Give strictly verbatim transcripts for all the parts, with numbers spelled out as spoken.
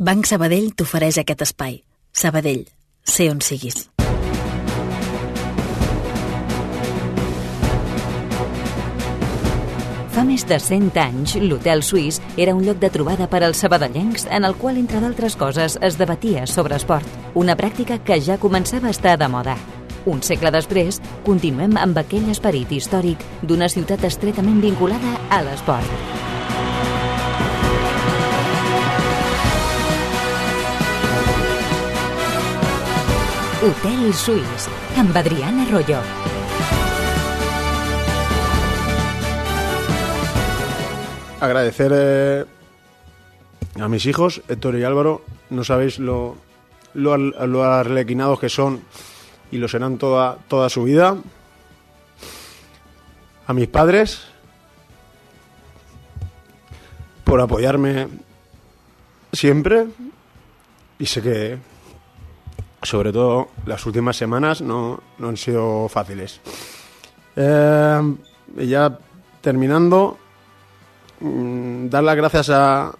Banc Sabadell t'ofereix aquest espai. Sabadell, sé on siguis. Fa més de cent anys, l'Hotel Suís era un lloc de trobada per als sabadellencs en el qual, entre d'altres coses, es debatia sobre esport. Una pràctica que ja començava a estar de moda. Un segle després, continuem amb aquell esperit històric d'una ciutat estretament vinculada a l'esport. Hotel Suís, amb Adrián Arroyo. Agradecer eh, a mis hijos, Héctor y Álvaro. No sabéis lo, lo, lo arlequinados que son y lo serán toda, toda su vida. A mis padres por apoyarme siempre, y sé que sobre todo las últimas semanas no, no han sido fáciles. Eh, ya terminando, dar las gracias a,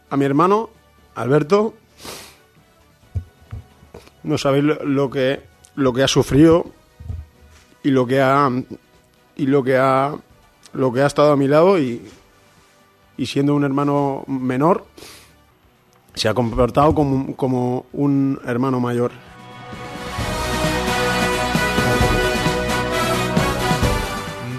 a mi hermano, Alberto. No sabéis lo, lo que lo que ha sufrido y lo que ha y lo que ha lo que ha estado a mi lado, y, y siendo un hermano menor se ha comportado como, como un hermano mayor.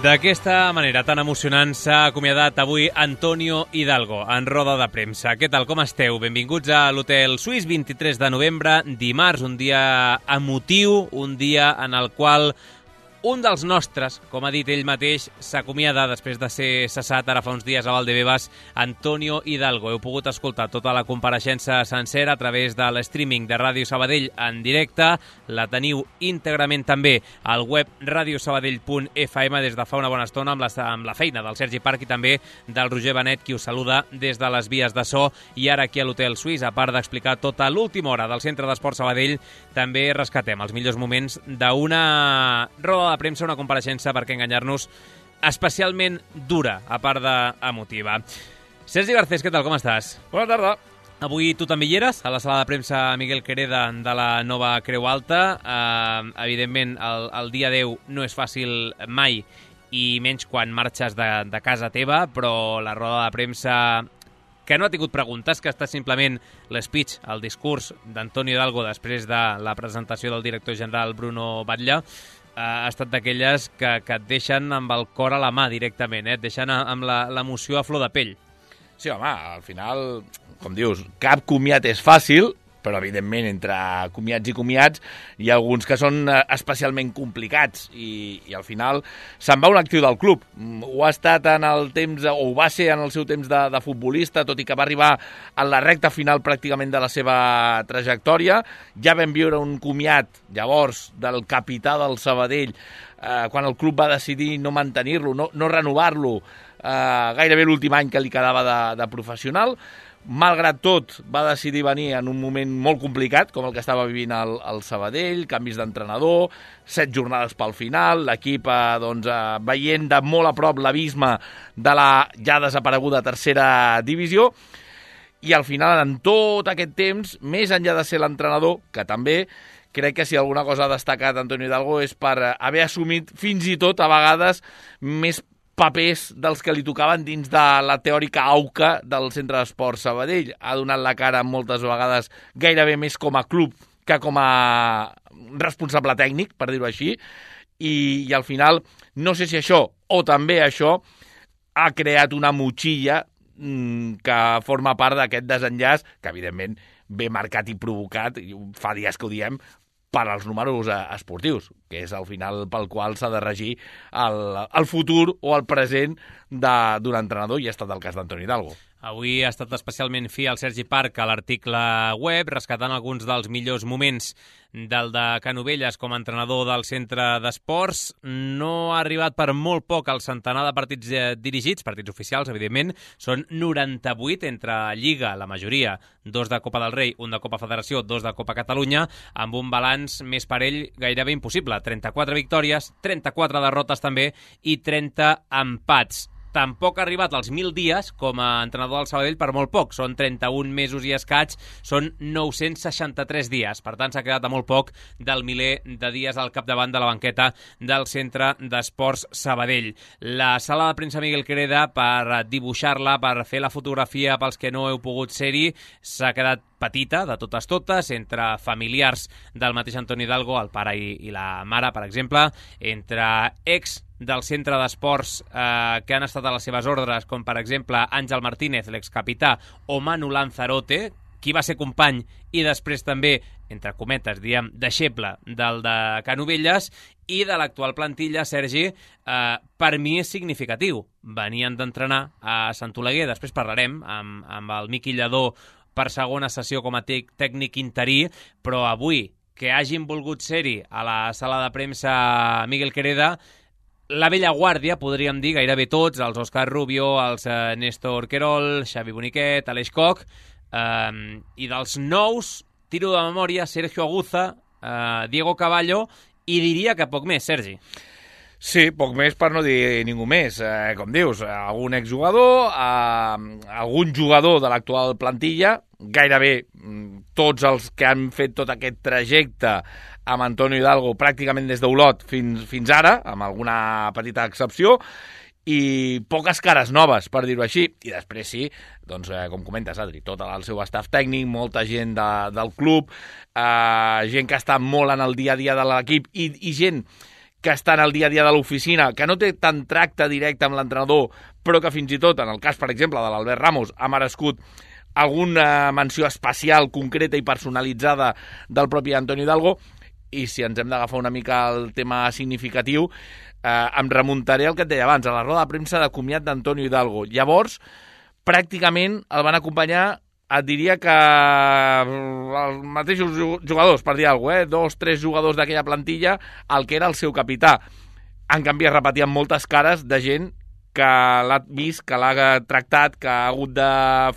D'aquesta manera tan emocionant s'ha acomiadat avui Antonio Hidalgo en roda de premsa. Què tal, com esteu? Benvinguts a l'Hotel Suís, vint-i-tres de novembre, dimarts, un dia emotiu, un dia en el qual un dels nostres, com ha dit ell mateix, s'acomiada després de ser cessat ara fa uns dies a Valdebebas, Antonio Hidalgo. Heu pogut escoltar tota la compareixença sencera a través de l'streaming de Ràdio Sabadell en directe. La teniu íntegrament també al web radiosabadell punt f m des de fa una bona estona amb la, amb la feina del Sergi Parc i també del Roger Benet, qui us saluda des de les vies de so. I ara aquí a l'Hotel Suís, a part d'explicar tota l'última hora del Centre d'Esport Sabadell, també rescatem els millors moments d'una roda de premsa, una compareixença, per què enganyar-nos, especialment dura, a part d'emotiva. Sergi Garcés, què tal, com estàs? Bona tarda. Avui tu també hi eres, a la sala de premsa Miguel Quereda de la nova Creu Alta. Eh, evidentment, el, el dia deu no és fàcil mai, i menys quan marxes de, de casa teva, però la roda de premsa que no ha tingut preguntes, que està simplement l'espeech, el discurs d'Antonio Hidalgo després de la presentació del director general Bruno Batlle, ha estat d'aquelles que, que et deixen amb el cor a la mà directament, eh? Et deixen amb l'emoció a flor de pell. Sí, home, al final, com dius, cap comiat és fàcil, però evidentment entre comiats i comiats hi ha alguns que són especialment complicats, i, i al final se'n va un actiu del club. Ho ha estat en el temps, o ho va ser en el seu temps de, de futbolista, tot i que va arribar en la recta final pràcticament de la seva trajectòria. Ja vam viure un comiat llavors del capità del Sabadell, eh, quan el club va decidir no mantenir-lo, no, no renovar-lo, eh, gairebé l'últim any que li quedava de, de professional. Malgrat tot, va decidir venir en un moment molt complicat, com el que estava vivint el, el Sabadell, canvis d'entrenador, set jornades pel final, l'equip eh, doncs, eh, veient de molt a prop l'abisme de la ja desapareguda tercera divisió, i al final, en tot aquest temps, més enllà de ser l'entrenador, que també crec que si alguna cosa ha destacat Antonio Hidalgo és per haver assumit fins i tot, a vegades, més papers dels que li tocaven dins de la teòrica auca del Centre d'Esport Sabadell. Ha donat la cara moltes vegades gairebé més com a club que com a responsable tècnic, per dir-ho així, i, i al final no sé si això o també això ha creat una motxilla mmm, que forma part d'aquest desenllaç, que evidentment ve marcat i provocat, i fa dies que ho diem, per als números esportius, que és al final pel qual s'ha de regir el, el futur o el present d'un entrenador, i ha estat el cas d'Antonio Hidalgo. Avui ha estat especialment fi al Sergi Parc a l'article web, rescatant alguns dels millors moments del de Canovelles com a entrenador del centre d'esports. No ha arribat per molt poc al centenar de partits eh, dirigits, partits oficials, evidentment. Són noranta-vuit entre Lliga, la majoria, dos de Copa del Rei, un de Copa Federació, dos de Copa Catalunya, amb un balanç més parell gairebé impossible. trenta-quatre victòries, trenta-quatre derrotes també i trenta empats. tampoc ha arribat als mil dies com a entrenador del Sabadell per molt poc. Són trenta-un mesos i escaig, són nou-cents seixanta-tres dies. Per tant, s'ha quedat a molt poc del miler de dies al capdavant de la banqueta del Centre d'Esports Sabadell. La sala de premsa Miguel Quereda, per dibuixar-la, per fer la fotografia pels que no heu pogut ser-hi, s'ha quedat petita, de totes totes, entre familiars del mateix Antoni Hidalgo, el pare i, i la mare, per exemple, entre ex del centre d'esports eh, que han estat a les seves ordres, com per exemple Àngel Martínez, l'excapità, o Manu Lanzarote, qui va ser company i després també, entre cometes, diem, deixeble del de Canovelles, i de l'actual plantilla, Sergi, eh, per mi és significatiu. Venien d'entrenar a Sant Oleguer, després parlarem amb, amb el Miqui Lladó per segona sessió com a tècnic interí, però avui, que hagin volgut ser-hi a la sala de premsa Miguel Quereda, la vella guàrdia, podríem dir, gairebé tots, els Òscar Rubio, els eh, Néstor Querol, Xavi Boniquet, Aleix Koch, eh, i dels nous, tiro de memòria, Sergio Aguza, eh, Diego Caballo, i diria que poc més, Sergi. Sí, poc més per no dir ningú més. Eh, com dius, algun exjugador, eh, algun jugador de l'actual plantilla, gairebé tots els que han fet tot aquest trajecte amb Antonio Hidalgo pràcticament des d'Olot fins, fins ara, amb alguna petita excepció, i poques cares noves, per dir-ho així. I després sí, doncs, eh, com comentes, Adri, tot el seu staff tècnic, molta gent de, del club, eh, gent que està molt en el dia a dia de l'equip i, i gent que està en el dia a dia de l'oficina, que no té tant tracte directe amb l'entrenador, però que fins i tot, en el cas, per exemple, de l'Albert Ramos, ha merescut alguna menció especial, concreta i personalitzada del propi Antonio Hidalgo. I si ens hem d'agafar una mica el tema significatiu, eh, em remuntaré al que et deia abans, a la roda de premsa de comiat d'Antonio Hidalgo. Llavors, pràcticament el van acompanyar, et diria que els mateixos jugadors, per dir alguna cosa, eh? dos, tres jugadors d'aquella plantilla, el que era el seu capità. En canvi, es repetien moltes cares de gent que l'ha vist, que l'ha tractat, que ha hagut de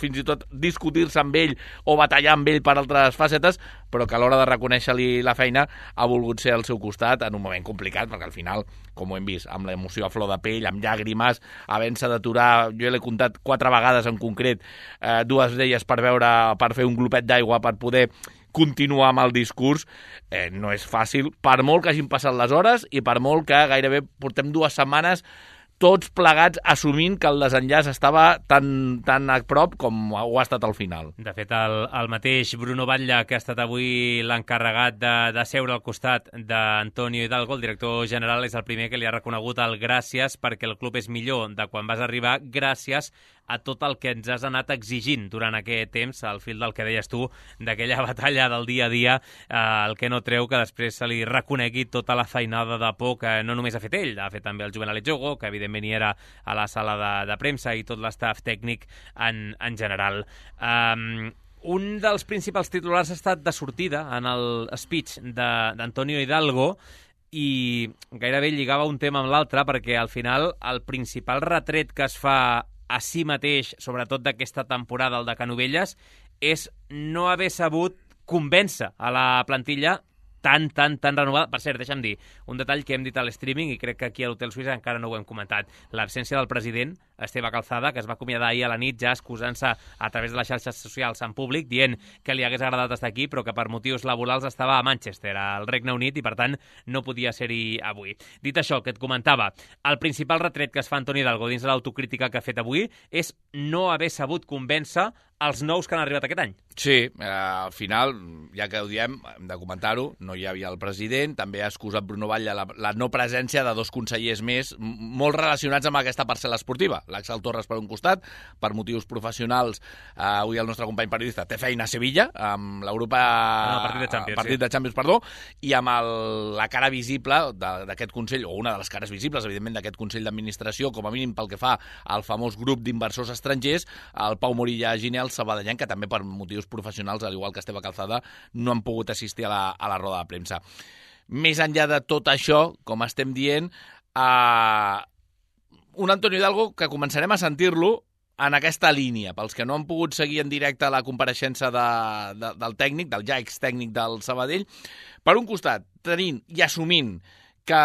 fins i tot discutir-se amb ell o batallar amb ell per altres facetes, però que a l'hora de reconèixer-li la feina ha volgut ser al seu costat en un moment complicat, perquè al final, com ho hem vist, amb l'emoció a flor de pell, amb llàgrimes, havent-se d'aturar, jo l'he comptat quatre vegades en concret, eh, dues d'elles per veure, per fer un glopet d'aigua, per poder continuar amb el discurs, eh, no és fàcil, per molt que hagin passat les hores i per molt que gairebé portem dues setmanes tots plegats assumint que el desenllaç estava tan, tan a prop com ho ha estat al final. De fet, el, el mateix Bruno Batlle, que ha estat avui l'encarregat de, de seure al costat d'Antonio Hidalgo, el director general, és el primer que li ha reconegut el gràcies perquè el club és millor de quan vas arribar, gràcies a tot el que ens has anat exigint durant aquest temps, al fil del que deies tu, d'aquella batalla del dia a dia, eh, el que no treu que després se li reconegui tota la feinada de por que no només ha fet ell, ha fet també el Juvenal Etxogo, que evidentment hi era a la sala de, de premsa, i tot l'estaf tècnic en, en general. Um, un dels principals titulars ha estat de sortida en el speech d'Antonio Hidalgo, i gairebé lligava un tema amb l'altre, perquè al final el principal retret que es fa a si mateix, sobretot d'aquesta temporada, el de Canovelles, és no haver sabut convèncer a la plantilla tan, tan, tan renovada. Per cert, deixa'm dir, un detall que hem dit a l'streaming, i crec que aquí a l'Hotel Suïssa encara no ho hem comentat, l'absència del president, Esteve Calzada, que es va acomiadar ahir a la nit ja excusant-se a través de les xarxes socials en públic, dient que li hagués agradat estar aquí, però que per motius laborals estava a Manchester, al Regne Unit, i per tant no podia ser-hi avui. Dit això, que et comentava, el principal retret que es fa Antoni Hidalgo dins de l'autocrítica que ha fet avui és no haver sabut convèncer els nous que han arribat aquest any. Sí, eh, al final, ja que ho diem, hem de comentar-ho, no hi havia el president, també ha excusat Bruno Batlle la, la no presència de dos consellers més, molt relacionats amb aquesta parcel·la esportiva. L'Axel Torres per un costat, per motius professionals, eh, avui el nostre company periodista té feina a Sevilla, amb l'Europa... No, partit de Champions, partit sí. de Champions, perdó, i amb el, la cara visible d'aquest Consell, o una de les cares visibles, evidentment, d'aquest Consell d'Administració, com a mínim pel que fa al famós grup d'inversors estrangers, el Pau Morilla Ginel, sabadellenc, que també per motius professionals, al igual que Esteve Calzada, no han pogut assistir a la, a la roda de premsa. Més enllà de tot això, com estem dient, eh, un Antonio Hidalgo que començarem a sentir-lo en aquesta línia. Pels que no han pogut seguir en directe la compareixença de, de, del tècnic, del ja ex-tècnic del Sabadell, per un costat, tenint i assumint que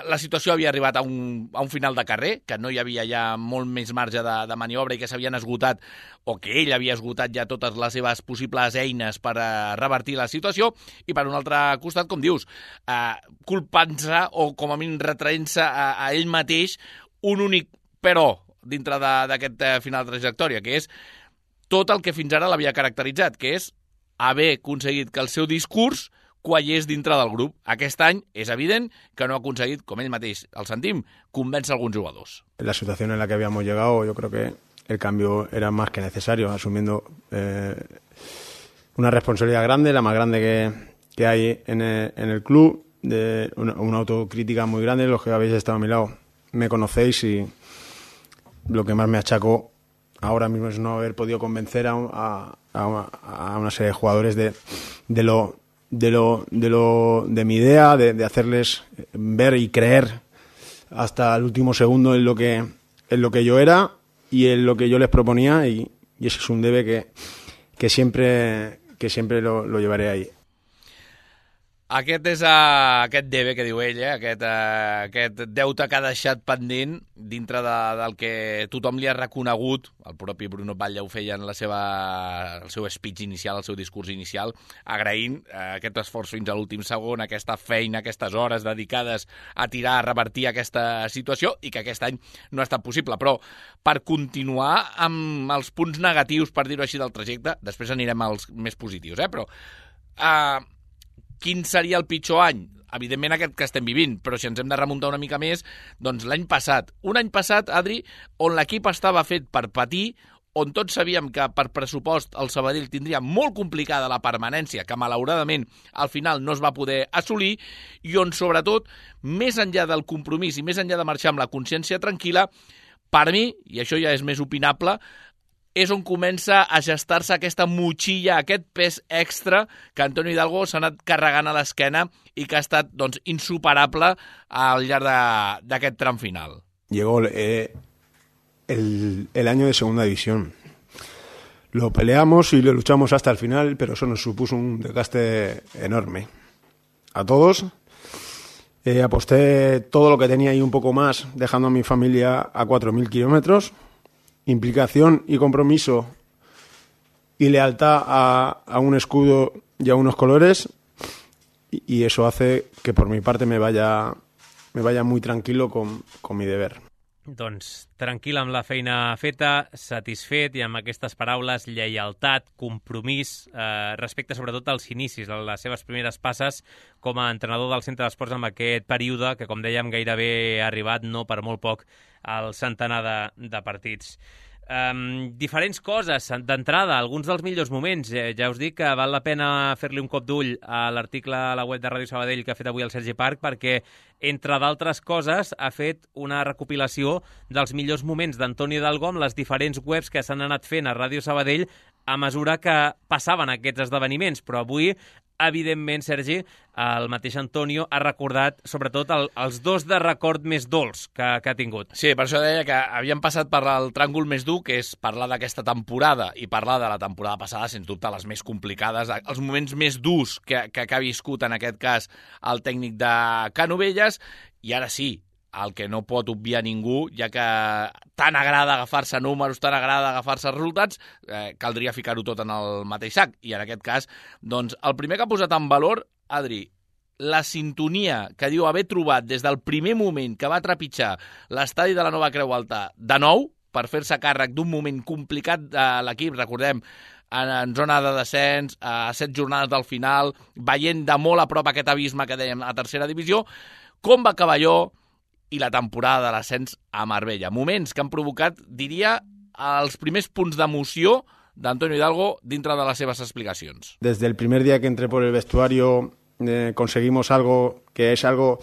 la situació havia arribat a un, a un final de carrer, que no hi havia ja molt més marge de, de maniobra i que s'havien esgotat, o que ell havia esgotat ja totes les seves possibles eines per a revertir la situació, i per un altre costat, com dius, eh, culpant-se o com a mínim retraent-se a, a ell mateix un únic però dintre d'aquest eh, final de trajectòria, que és tot el que fins ara l'havia caracteritzat, que és haver aconseguit que el seu discurs quallés dintre del grup. Aquest any és evident que no ha aconseguit, com ell mateix el sentim, convèncer alguns jugadors. La situació en la que habíamos llegado, yo creo que el cambio era más que necesario, asumiendo eh, una responsabilidad grande, la más grande que, que hay en el, en el club, de una, una autocrítica muy grande. Los que habéis estado a mi lado me conocéis y lo que más me achacó ahora mismo es no haber podido convencer a, a, a, una, a una serie de jugadores de, de lo de lo de lo de mi idea, de, de hacerles ver y creer hasta el último segundo en lo que en lo que yo era y en lo que yo les proponía, y, y ese es un debe que, que siempre que siempre lo, lo llevaré ahí. Aquest és uh, aquest debe que diu ell, eh? aquest, uh, aquest deute que ha deixat pendent dintre de, del que tothom li ha reconegut. El propi Bruno Batlle ho feia en la seva, el seu speech inicial, el seu discurs inicial, agraint uh, aquest esforç fins a l'últim segon, aquesta feina, aquestes hores dedicades a tirar, a revertir aquesta situació, i que aquest any no ha estat possible. Però per continuar amb els punts negatius, per dir-ho així, del trajecte, després anirem als més positius, eh? però... Uh, Quin seria el pitjor any? Evidentment aquest que estem vivint, però si ens hem de remuntar una mica més, doncs l'any passat. Un any passat, Adri, on l'equip estava fet per patir, on tots sabíem que per pressupost el Sabadell tindria molt complicada la permanència, que malauradament al final no es va poder assolir, i on sobretot, més enllà del compromís i més enllà de marxar amb la consciència tranquil·la, per mi, i això ja és més opinable, és on comença a gestar-se aquesta motxilla, aquest pes extra que Antonio Hidalgo s'ha anat carregant a l'esquena i que ha estat doncs, insuperable al llarg d'aquest tram final. Llegó eh, el, el año de segunda división. Lo peleamos y lo luchamos hasta el final, pero eso nos supuso un desgaste enorme. A todos. Eh, aposté todo lo que tenía y un poco más, dejando a mi familia a cuatro mil kilómetros. Implicación y compromiso y lealtad a, a un escudo y a unos colores, y, y eso hace que por mi parte me vaya, me vaya muy tranquilo con, con mi deber. Doncs tranquil amb la feina feta, satisfet, i amb aquestes paraules, lleialtat, compromís, eh, respecte sobretot als inicis, a les seves primeres passes com a entrenador del Centre d'Esports en aquest període que, com dèiem, gairebé ha arribat, no per molt poc, al centenar de, de partits. Um, diferents coses, d'entrada, alguns dels millors moments. Eh, ja us dic que val la pena fer-li un cop d'ull a l'article a la web de Ràdio Sabadell que ha fet avui el Sergi Parc, perquè, entre d'altres coses, ha fet una recopilació dels millors moments d'Antonio Hidalgo amb les diferents webs que s'han anat fent a Ràdio Sabadell a mesura que passaven aquests esdeveniments. Però avui, evidentment, Sergi, el mateix Antonio ha recordat sobretot el, els dos de record més dolç que, que ha tingut. Sí, per això deia que havíem passat per el tràngol més dur, que és parlar d'aquesta temporada i parlar de la temporada passada, sens dubte, les més complicades, els moments més durs que, que, que ha viscut, en aquest cas, el tècnic de Canovelles, i ara sí, el que no pot obviar ningú, ja que tant agrada agafar-se números, tant agrada agafar-se resultats, eh, caldria ficar-ho tot en el mateix sac. I en aquest cas, doncs, el primer que ha posat en valor, Adri, la sintonia que diu haver trobat des del primer moment que va trepitjar l'estadi de la Nova Creu Alta de nou, per fer-se càrrec d'un moment complicat de l'equip, recordem, en, en zona de descens, a set jornades del final, veient de molt a prop aquest abisme que dèiem a tercera divisió, com va acabar allò, i la temporada de l'ascens a Marbella. Moments que han provocat, diria, els primers punts d'emoció d'Antonio Hidalgo dintre de les seves explicacions. Desde el primer día que entré por el vestuario eh, conseguimos algo que es algo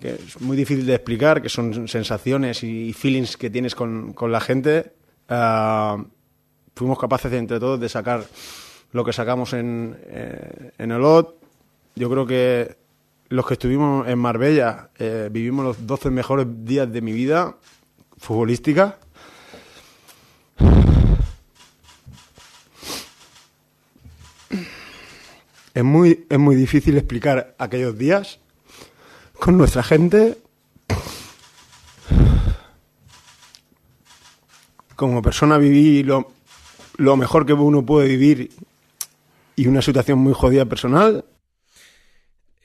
que es muy difícil de explicar, que son sensaciones y feelings que tienes con, con la gente. Uh, fuimos capaces de, entre todos de sacar lo que sacamos en, eh, en Olot. Yo creo que los que estuvimos en Marbella eh, vivimos los doce mejores días de mi vida futbolística. Es muy, es muy difícil explicar aquellos días, con nuestra gente. Como persona viví lo, lo mejor que uno puede vivir y una situación muy jodida personal.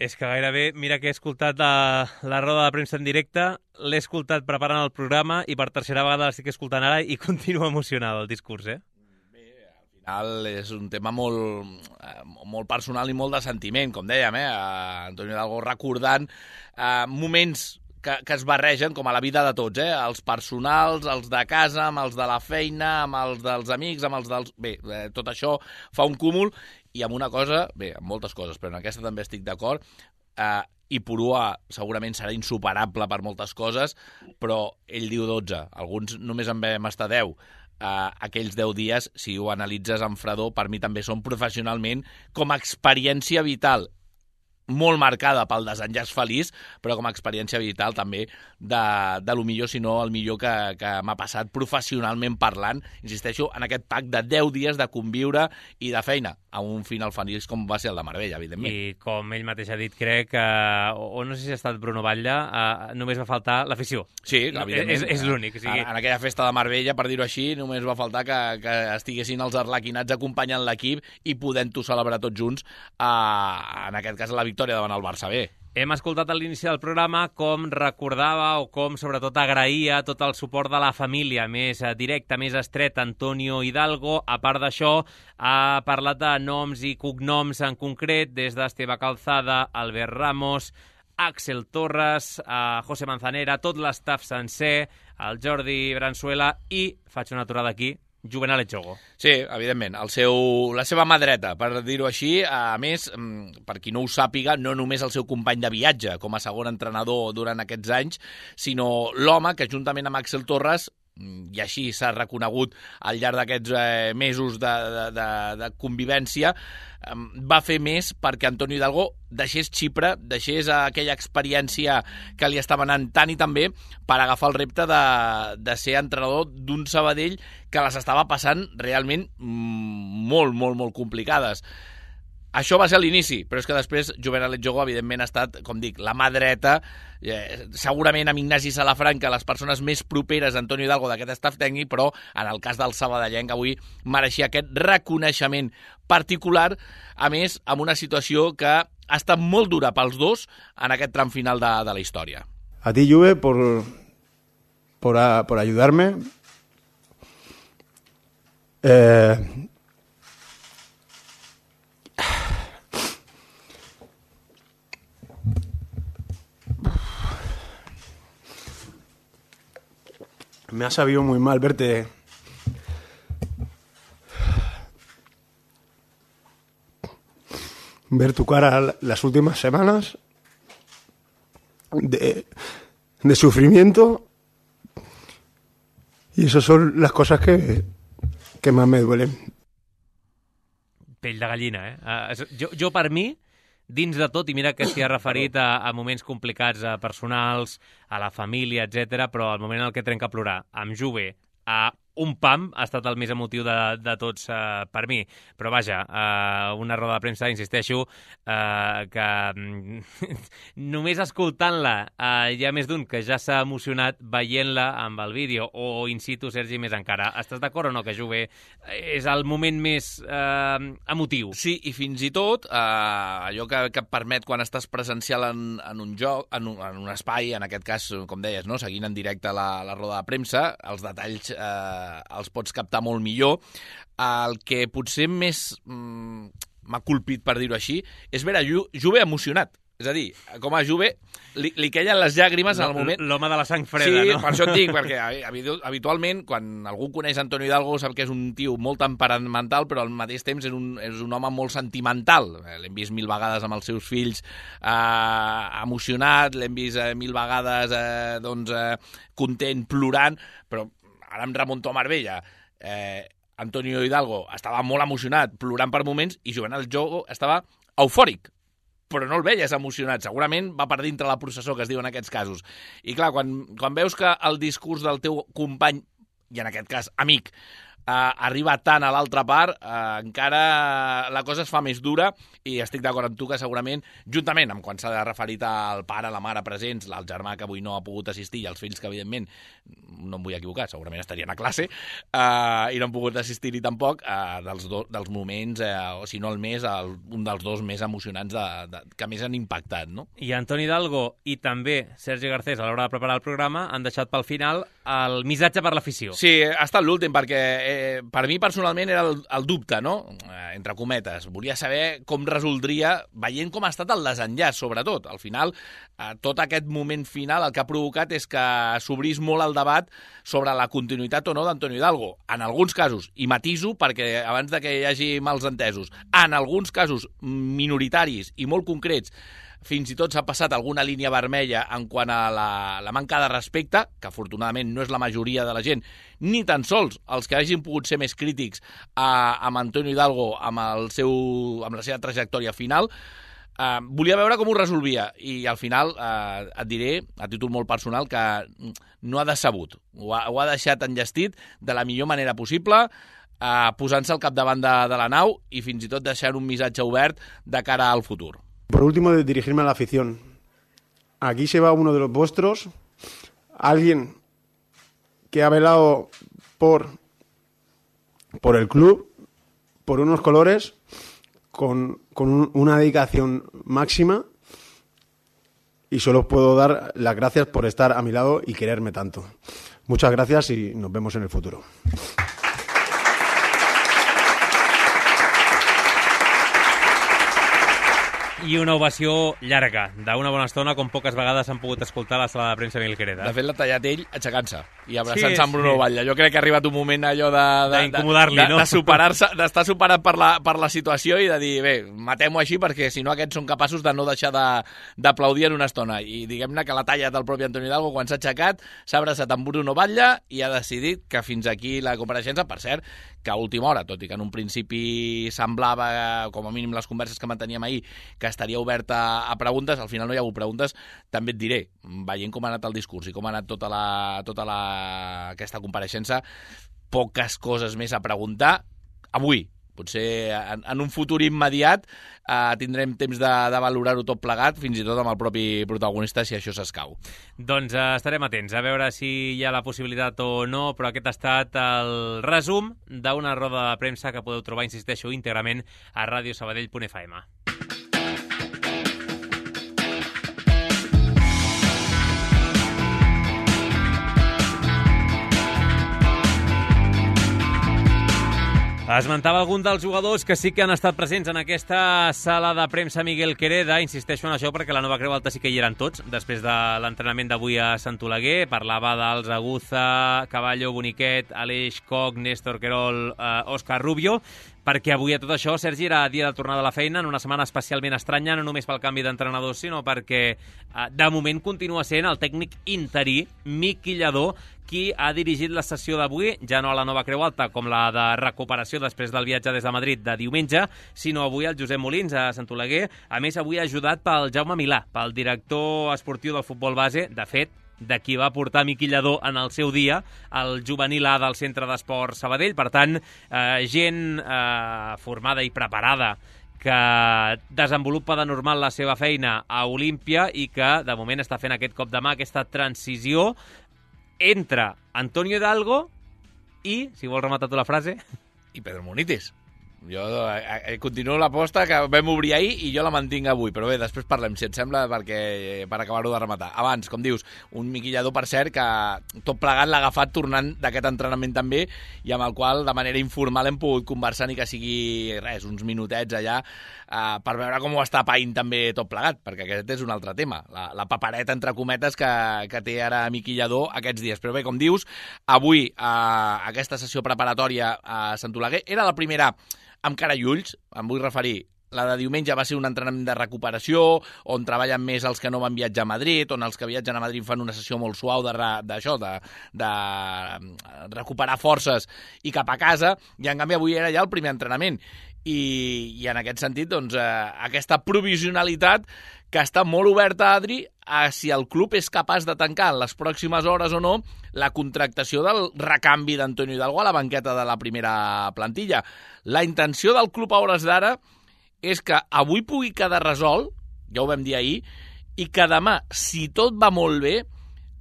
És que gairebé, mira que he escoltat la, la roda de premsa en directe, l'he escoltat preparant el programa i per tercera vegada l'estic escoltant ara i continua emocionat el discurs, eh? Al final és un tema molt, molt personal i molt de sentiment, com dèiem, eh? Antonio Hidalgo recordant eh, moments que, que es barregen com a la vida de tots, eh? Els personals, els de casa, amb els de la feina, amb els dels amics, amb els dels... Bé, eh, tot això fa un cúmul i amb una cosa, bé, amb moltes coses, però en aquesta també estic d'acord, eh, i Purua segurament serà insuperable per moltes coses, però ell diu dotze, alguns només en vam estar deu. Uh, aquells deu dies, si ho analitzes amb fredor, per mi també són professionalment com a experiència vital molt marcada pel desenllaç feliç, però com a experiència vital també de, de lo millor, si no el millor que, que m'ha passat professionalment parlant, insisteixo, en aquest pack de deu dies de conviure i de feina, a un final feliç com va ser el de Marbella, evidentment. I com ell mateix ha dit, crec, uh, o, o no sé si ha estat Bruno Batlle, uh, només va faltar l'afició. Sí, evidentment. És, és l'únic. O sigui... en, en aquella festa de Marbella, per dir-ho així, només va faltar que, que estiguessin els arlequinats acompanyant l'equip i podent-ho celebrar tots junts, uh, en aquest cas la victòria davant el Barça B. Hem escoltat a l'inici del programa com recordava o com sobretot agraïa tot el suport de la família més directa, més estreta, Antonio Hidalgo. A part d'això, ha parlat de noms i cognoms en concret, des d'Esteve Calzada, Albert Ramos, Axel Torres, a José Manzanera, tot l'estaf sencer, el Jordi Branzuela i, faig una aturada aquí, Juvenal Etxogo. Sí, evidentment, el seu, la seva mà dreta, per dir-ho així. A més, per qui no ho sàpiga, no només el seu company de viatge com a segon entrenador durant aquests anys, sinó l'home que juntament amb Axel Torres, i així s'ha reconegut al llarg d'aquests eh, mesos de, de, de, de convivència, eh, va fer més perquè Antonio Hidalgo deixés Xipre, deixés aquella experiència que li estava anant tant i tan bé per agafar el repte de, de ser entrenador d'un Sabadell que les estava passant realment molt, molt, molt complicades. Això va ser l'inici, però és que després Juvenal Etxogo, evidentment, ha estat, com dic, la mà dreta, eh, segurament amb Ignasi Salafranca, les persones més properes d'Antonio Hidalgo d'aquest staff tècnic, però en el cas del sabadellenc avui mereixia aquest reconeixement particular, a més, amb una situació que ha estat molt dura pels dos en aquest tram final de, de la història. A ti, Juve, por, por, a, por ayudarme. Eh... Me ha sabido muy mal verte ver tu cara las últimas semanas de, de sufrimiento, y esas son las cosas que, que más me duelen. Pell de gallina, eh? Uh, jo, jo, per mi, dins de tot, i mira que s'hi ha referit a, a moments complicats a personals, a la família, etcètera, però el moment en què trenca a plorar amb Juve, a un pam, ha estat el més emotiu de, de tots uh, per mi. Però vaja, uh, una roda de premsa, insisteixo, uh, que només escoltant-la uh, hi ha més d'un que ja s'ha emocionat veient-la amb el vídeo, o in situ, Sergi, més encara. Estàs d'acord o no que Juve és el moment més uh, emotiu? Sí, i fins i tot uh, allò que, que et permet quan estàs presencial en, en un joc, en un, en un espai, en aquest cas, com deies, no? Seguint en directe la, la roda de premsa, els detalls uh, els pots captar molt millor. El que potser més mm, m'ha colpit, per dir-ho així, és veure Ju Juve emocionat. És a dir, com a Juve li, li queien les llàgrimes en el moment... L'home de la sang freda, sí, no? Sí, per això et dic, perquè habitualment, quan algú coneix Antonio Hidalgo, sap que és un tio molt temperamental, però al mateix temps és un, és un home molt sentimental. L'hem vist mil vegades amb els seus fills eh, emocionat, l'hem vist eh, mil vegades eh, doncs, eh, content, plorant, però ara em remunto a Marbella. Eh, Antonio Hidalgo estava molt emocionat, plorant per moments, i Juvenal Etxogo estava eufòric, però no el veies emocionat. Segurament va per dintre la processó, que es diu en aquests casos. I clar, quan, quan veus que el discurs del teu company, i en aquest cas amic, arriba tant a l'altra part, eh, encara la cosa es fa més dura i estic d'acord amb tu que segurament, juntament amb quan s'ha de referir al pare, la mare presents, el germà que avui no ha pogut assistir i els fills que, evidentment, no em vull equivocar, segurament estarien a classe eh, i no han pogut assistir-hi tampoc, eh, dels, do, dels moments, eh, o si no el més, el, un dels dos més emocionants de, de, que més han impactat, no? I Antoni Hidalgo i també Sergi Garcés, a l'hora de preparar el programa, han deixat pel final el missatge per l'afició. Sí, ha estat l'últim, perquè eh, per mi personalment era el, el dubte, no? Eh, entre cometes. Volia saber com resoldria, veient com ha estat el desenllaç, sobretot. Al final, eh, tot aquest moment final el que ha provocat és que s'obrís molt el debat sobre la continuïtat o no d'Antonio Hidalgo. En alguns casos, i matiso perquè abans de que hi hagi mals entesos, en alguns casos minoritaris i molt concrets, fins i tot s'ha passat alguna línia vermella en quant a la, la manca de respecte, que afortunadament no és la majoria de la gent, ni tan sols els que hagin pogut ser més crítics a, amb Antonio Hidalgo, amb, el seu, amb la seva trajectòria final. Eh, volia veure com ho resolvia i al final eh, et diré, a títol molt personal, que no ha decebut. Ho ha, ho ha deixat enllestit de la millor manera possible, eh, posant-se al capdavant de, de la nau i fins i tot deixant un missatge obert de cara al futur. Por último, de dirigirme a la afición. Aquí se va uno de los vuestros, alguien que ha velado por, por el club, por unos colores, con, con un, una dedicación máxima, y solo os puedo dar las gracias por estar a mi lado y quererme tanto. Muchas gracias y nos vemos en el futuro. I una ovació llarga, d'una bona estona, com poques vegades han pogut escoltar a la sala de premsa Miguel Quereda. De fet, l'ha tallat ell aixecant-se i abraçant-se sí, amb Bruno sí. Batlle. Jo crec que ha arribat un moment allò de... D'incomodar-li, de, de, no? De superar-se, d'estar superat per la, per la situació i de dir, bé, matem-ho així perquè si no aquests són capaços de no deixar d'aplaudir en una estona. I diguem-ne que la talla del propi Antonio Hidalgo, quan s'ha aixecat, s'ha abraçat amb Bruno Batlle i ha decidit que fins aquí la compareixença, per cert, que a última hora, tot i que en un principi semblava, com a mínim les converses que manteníem ahir, que estaria oberta a preguntes, al final no hi ha hagut preguntes, també et diré, veient com ha anat el discurs i com ha anat tota, la, tota la, aquesta compareixença, poques coses més a preguntar avui. Potser en, en un futur immediat eh, tindrem temps de, de valorar-ho tot plegat, fins i tot amb el propi protagonista, si això s'escau. Doncs eh, estarem atents a veure si hi ha la possibilitat o no, però aquest ha estat el resum d'una roda de premsa que podeu trobar, insisteixo, íntegrament a radio sabadell punt f m. Esmentava algun dels jugadors que sí que han estat presents en aquesta sala de premsa Miguel Quereda. Insisteixo en això perquè la Nova Creu Alta sí que hi eren tots després de l'entrenament d'avui a Sant Oleguer. Parlava dels Aguza, Caballo, Boniquet, Aleix Coc, Néstor Querol, eh, Òscar Rubio, perquè avui a tot això, Sergi, era dia de tornada a la feina en una setmana especialment estranya, no només pel canvi d'entrenador, sinó perquè eh, de moment continua sent el tècnic interí Miqui Lladó qui ha dirigit la sessió d'avui, ja no a la Nova Creu Alta com la de recuperació després del viatge des de Madrid de diumenge, sinó avui el Josep Molins a Sant Oleguer, a més avui ajudat pel Jaume Milà, pel director esportiu del futbol base, de fet, de qui va portar Miqui Lladó en el seu dia, el juvenil A del Centre d'Esport Sabadell. Per tant, eh, gent eh, formada i preparada que desenvolupa de normal la seva feina a Olímpia i que, de moment, està fent aquest cop de mà, aquesta transició entre Antonio Hidalgo i, si vols rematar tu la frase... I Pedro Munitis. Jo eh, continuo l'aposta que vam obrir ahir i jo la mantinc avui, però bé, després parlem, si et sembla, perquè per acabar-ho de rematar. Abans, com dius, un Miqui Lladó, per cert, que tot plegat l'ha agafat tornant d'aquest entrenament també i amb el qual, de manera informal, hem pogut conversar ni que sigui, res, uns minutets allà eh, per veure com ho està païnt també tot plegat, perquè aquest és un altre tema, la, la papereta, entre cometes, que, que té ara Miqui Lladó aquests dies. Però bé, com dius, avui eh, aquesta sessió preparatòria a Sant Oleguer era la primera amb cara i ulls, em vull referir. La de diumenge va ser un entrenament de recuperació, on treballen més els que no van viatjar a Madrid, on els que viatgen a Madrid fan una sessió molt suau d'això, de, de, de recuperar forces i cap a casa, i en canvi avui era ja el primer entrenament. I, i en aquest sentit, doncs, eh, aquesta provisionalitat que està molt oberta, Adri, a si el club és capaç de tancar en les pròximes hores o no la contractació del recanvi d'Antonio Hidalgo a la banqueta de la primera plantilla. La intenció del club a hores d'ara és que avui pugui quedar resolt, ja ho vam dir ahir, i que demà, si tot va molt bé,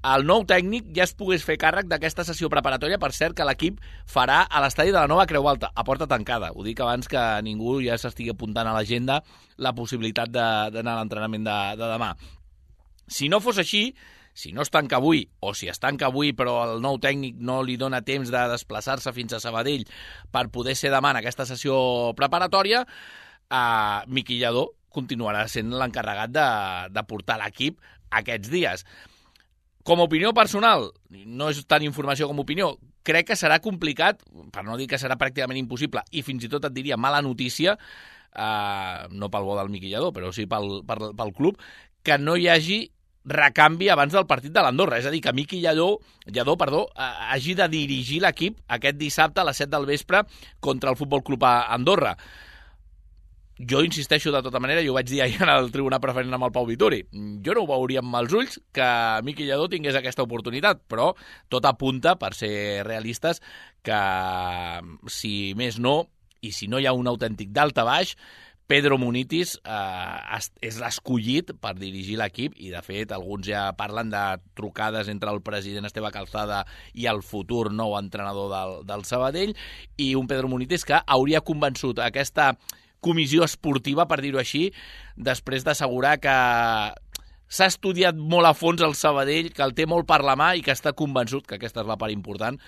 el nou tècnic ja es pogués fer càrrec d'aquesta sessió preparatòria, per cert, que l'equip farà a l'estadi de la Nova Creu Alta, a porta tancada. Ho dic abans que ningú ja s'estigui apuntant a l'agenda la possibilitat d'anar a l'entrenament de, de demà. Si no fos així, si no es tanca avui, o si es tanca avui però el nou tècnic no li dona temps de desplaçar-se fins a Sabadell per poder ser demà en aquesta sessió preparatòria, eh, Miqui Lladó continuarà sent l'encarregat de, de portar l'equip aquests dies. Com a opinió personal, no és tant informació com opinió, crec que serà complicat, per no dir que serà pràcticament impossible, i fins i tot et diria mala notícia, eh, no pel bo del Miqui Lladó, però sí pel, pel, pel club, que no hi hagi recanvi abans del partit de l'Andorra. És a dir, que Miqui Lladó, Lladó perdó, eh, hagi de dirigir l'equip aquest dissabte a les set del vespre contra el Futbol Club Andorra. Jo insisteixo de tota manera, jo ho vaig dir ahir en el tribunal preferent amb el Pau Vituri. Jo no ho veuria amb els ulls que Miqui Lladó tingués aquesta oportunitat, però tot apunta, per ser realistes, que si més no, i si no hi ha un autèntic d'alta baix, Pedro Munitis eh, és l'escollit per dirigir l'equip i, de fet, alguns ja parlen de trucades entre el president Esteve Calzada i el futur nou entrenador del, del Sabadell, i un Pedro Munitis que hauria convençut aquesta comissió esportiva, per dir-ho així, després d'assegurar que s'ha estudiat molt a fons el Sabadell, que el té molt per la mà i que està convençut, que aquesta és la part important,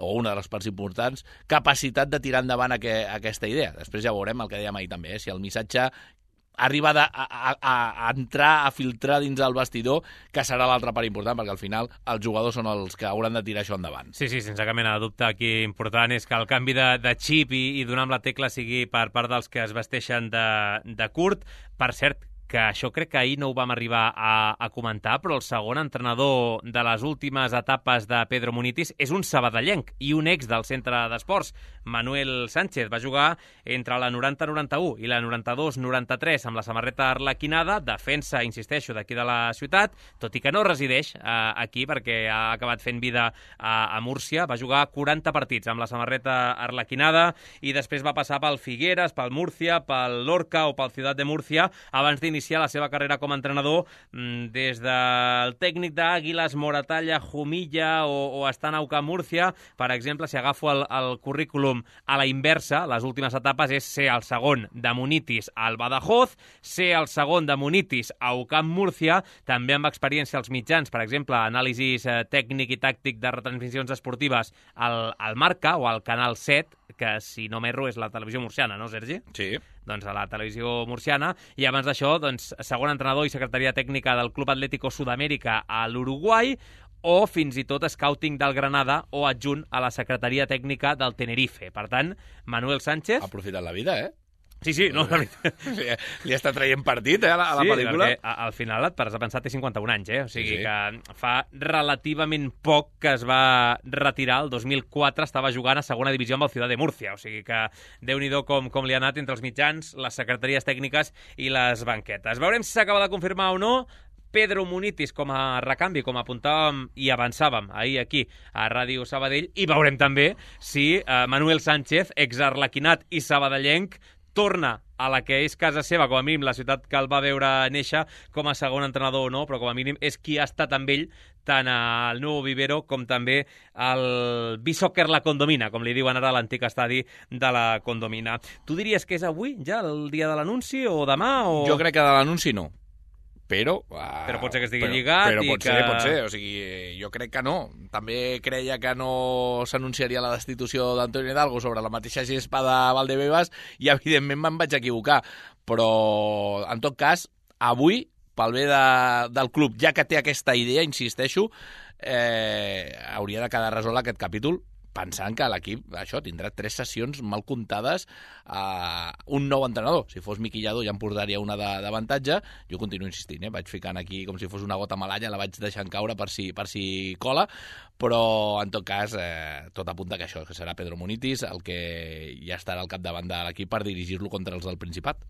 o una de les parts importants, capacitat de tirar endavant aqu aquesta idea. Després ja veurem el que dèiem ahir també, eh? Si el missatge arriba a, a, a entrar, a filtrar dins el vestidor, que serà l'altra part important, perquè al final els jugadors són els que hauran de tirar això endavant. Sí, sí, sense cap mena de dubte. Aquí important és que el canvi de, de xip i, i donar amb la tecla sigui per part dels que es vesteixen de, de curt. Per cert, que això crec que ahir no ho vam arribar a, a comentar, però el segon entrenador de les últimes etapes de Pedro Munitis és un sabadellenc i un ex del centre d'esports, Manuel Sánchez. Va jugar entre la noranta noranta-u i la noranta-dos noranta-tres amb la samarreta arlequinada, defensa, insisteixo, d'aquí de la ciutat, tot i que no resideix eh, aquí perquè ha acabat fent vida a, a Múrcia. Va jugar quaranta partits amb la samarreta arlequinada i després va passar pel Figueres, pel Múrcia, pel Lorca o pel Ciutat de Múrcia, abans d'iniciar iniciar la seva carrera com a entrenador des del tècnic d'Àguiles, Moratalla, Jumilla o, o estant a U C A M Múrcia. Per exemple, si agafo el, el currículum a la inversa, les últimes etapes és ser el segon de Munitis al Badajoz, ser el segon de Munitis a U C A M Múrcia, també amb experiència als mitjans, per exemple, anàlisis eh, tècnic i tàctic de retransmissions esportives al, al Marca o al Canal set, que si no m'erro és la televisió murciana, no, Sergi? Sí. Doncs a la televisió murciana, i abans d'això, doncs, segon entrenador i secretaria tècnica del Club Atlético Sudamérica a l'Uruguai, o fins i tot scouting del Granada o adjunt a la secretaria tècnica del Tenerife. Per tant, Manuel Sánchez... Ha aprofitat la vida, eh? Sí, sí, no, la veritat. Li, li està traient partit, eh, a la, a la sí, pel·lícula. Sí, al final et pares a pensar, té cinquanta-un anys, eh? O sigui sí, sí. que fa relativament poc que es va retirar. El dos mil quatre estava jugant a segona divisió amb el Ciutat de Múrcia. O sigui que Déu-n'hi-do com, com li ha anat entre els mitjans, les secretaries tècniques i les banquetes. Veurem si s'acaba de confirmar o no. Pedro Munitis com a recanvi, com apuntàvem i avançàvem ahir aquí a Ràdio Sabadell, i veurem també si eh, Manuel Sánchez, exarlequinat i sabadellenc, torna a la que és casa seva, com a mínim la ciutat que el va veure néixer, com a segon entrenador o no, però com a mínim és qui ha estat amb ell tant al Nou Vivero com també al B-Soccer La Condomina, com li diuen ara a l'antic estadi de la Condomina. Tu diries que és avui ja el dia de l'anunci o demà? O... Jo crec que de l'anunci no. Però, uh, però pot ser que estigui però, lligat però i pot que... ser, pot ser, o sigui, jo crec que no. També creia que no s'anunciaria la destitució d'Antonio Hidalgo sobre la mateixa gespa de Valdebebas i evidentment me'n vaig equivocar, però en tot cas, avui, pel bé de, del club, ja que té aquesta idea, insisteixo, eh, hauria de quedar resolt aquest capítol, pensant que l'equip, això, tindrà tres sessions mal comptades a un nou entrenador. Si fos Miqui Lladó ja em portaria una d'avantatge. Jo continuo insistint, eh? Vaig ficant aquí com si fos una gota malalla, la vaig deixant caure per si, per si cola, però en tot cas eh, tot apunta que això, que serà Pedro Munitis el que ja estarà al capdavant de l'equip per dirigir-lo contra els del Principat.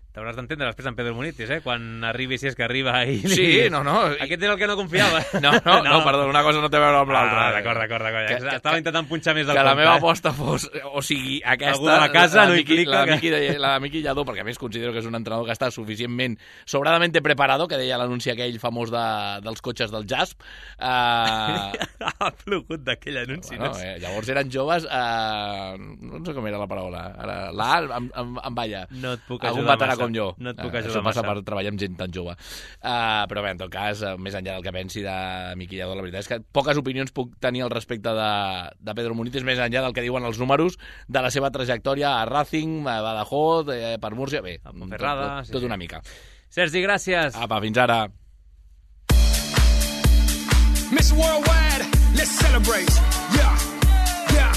T'hauràs d'entendre després en Pedro Munitis, eh? Quan arribi, si és que arriba i... Sí, no, no. Aquest era el que no confiava. No, no, no, no, perdó, una cosa no té a veure amb l'altra. Ah, d'acord, d'acord, d'acord. Que, Estava que, intentant punxar més del que compte. la meva eh? aposta fos, o sigui, aquesta... Algú de la casa no hi clica. La Miqui, la Miqui Lladó, perquè a més considero que és un entrenador que està suficientment, sobradamente preparado, que deia l'anunci aquell famós de, dels cotxes del Jasp. Uh, ha plogut d'aquell anunci. Bueno, eh, llavors eren joves... Uh, no sé com era la paraula. Ara, la A em, em, em balla. No et puc Algun ajudar veterà massa. com jo. No et puc uh, ajudar això passa massa. per treballar amb gent tan jove. Uh, però bé, en tot cas, uh, més enllà del que pensi de Miqui Lladó, la veritat és que poques opinions puc tenir al respecte de, de Pedro Munitis, més enllà del que diuen els números de la seva trajectòria a Racing, a Badajoz, eh, per Múrcia, bé, a Ponferrada, tot, tot, sí, tot sí. una mica. Sergi, gràcies. Apa, fins ara. Miss Worldwide, let's celebrate. Yeah, yeah.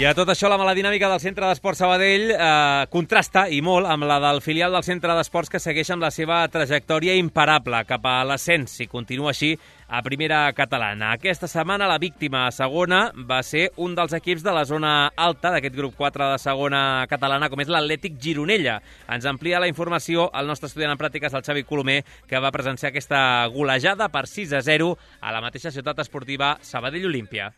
I a tot això, la mala dinàmica del Centre d'Esports Sabadell eh, contrasta, i molt, amb la del filial del Centre d'Esports, que segueix amb la seva trajectòria imparable cap a l'ascens, si continua així, a primera catalana. Aquesta setmana la víctima a segona va ser un dels equips de la zona alta d'aquest grup quatre de segona catalana, com és l'Atlètic Gironella. Ens amplia la informació el nostre estudiant en pràctiques, el Xavi Colomer, que va presenciar aquesta golejada per sis a zero a la mateixa ciutat esportiva Sabadell-Olímpia.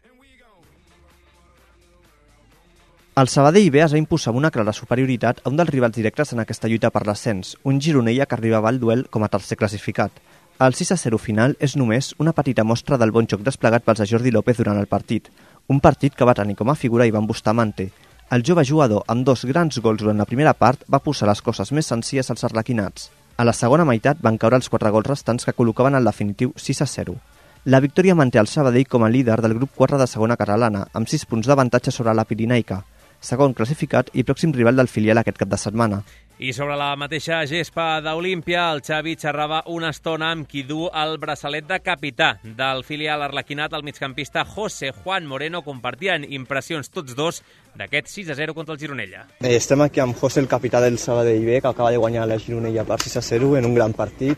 El Sabadell B es va imposar amb una clara superioritat a un dels rivals directes en aquesta lluita per l'ascens, un Gironella que arribava al duel com a tercer classificat. El sis a zero final és només una petita mostra del bon joc desplegat pels de Jordi López durant el partit, un partit que va tenir com a figura Ivan Bustamante. El jove jugador, amb dos grans gols durant la primera part, va posar les coses més senzilles als arlequinats. A la segona meitat van caure els quatre gols restants que col·locaven el definitiu sis a zero. La victòria manté el Sabadell com a líder del grup quatre de segona catalana, amb sis punts d'avantatge sobre la Pirinaica, segon classificat i pròxim rival del filial aquest cap de setmana. I sobre la mateixa gespa d'Olímpia, el Xavi xerrava una estona amb qui du el braçalet de capità del filial arlequinat, el migcampista José Juan Moreno. Compartien impressions tots dos d'aquest sis a zero contra el Gironella. Eh, estem aquí amb José, el capità del Sabadell B, que acaba de guanyar la Gironella per sis a zero en un gran partit.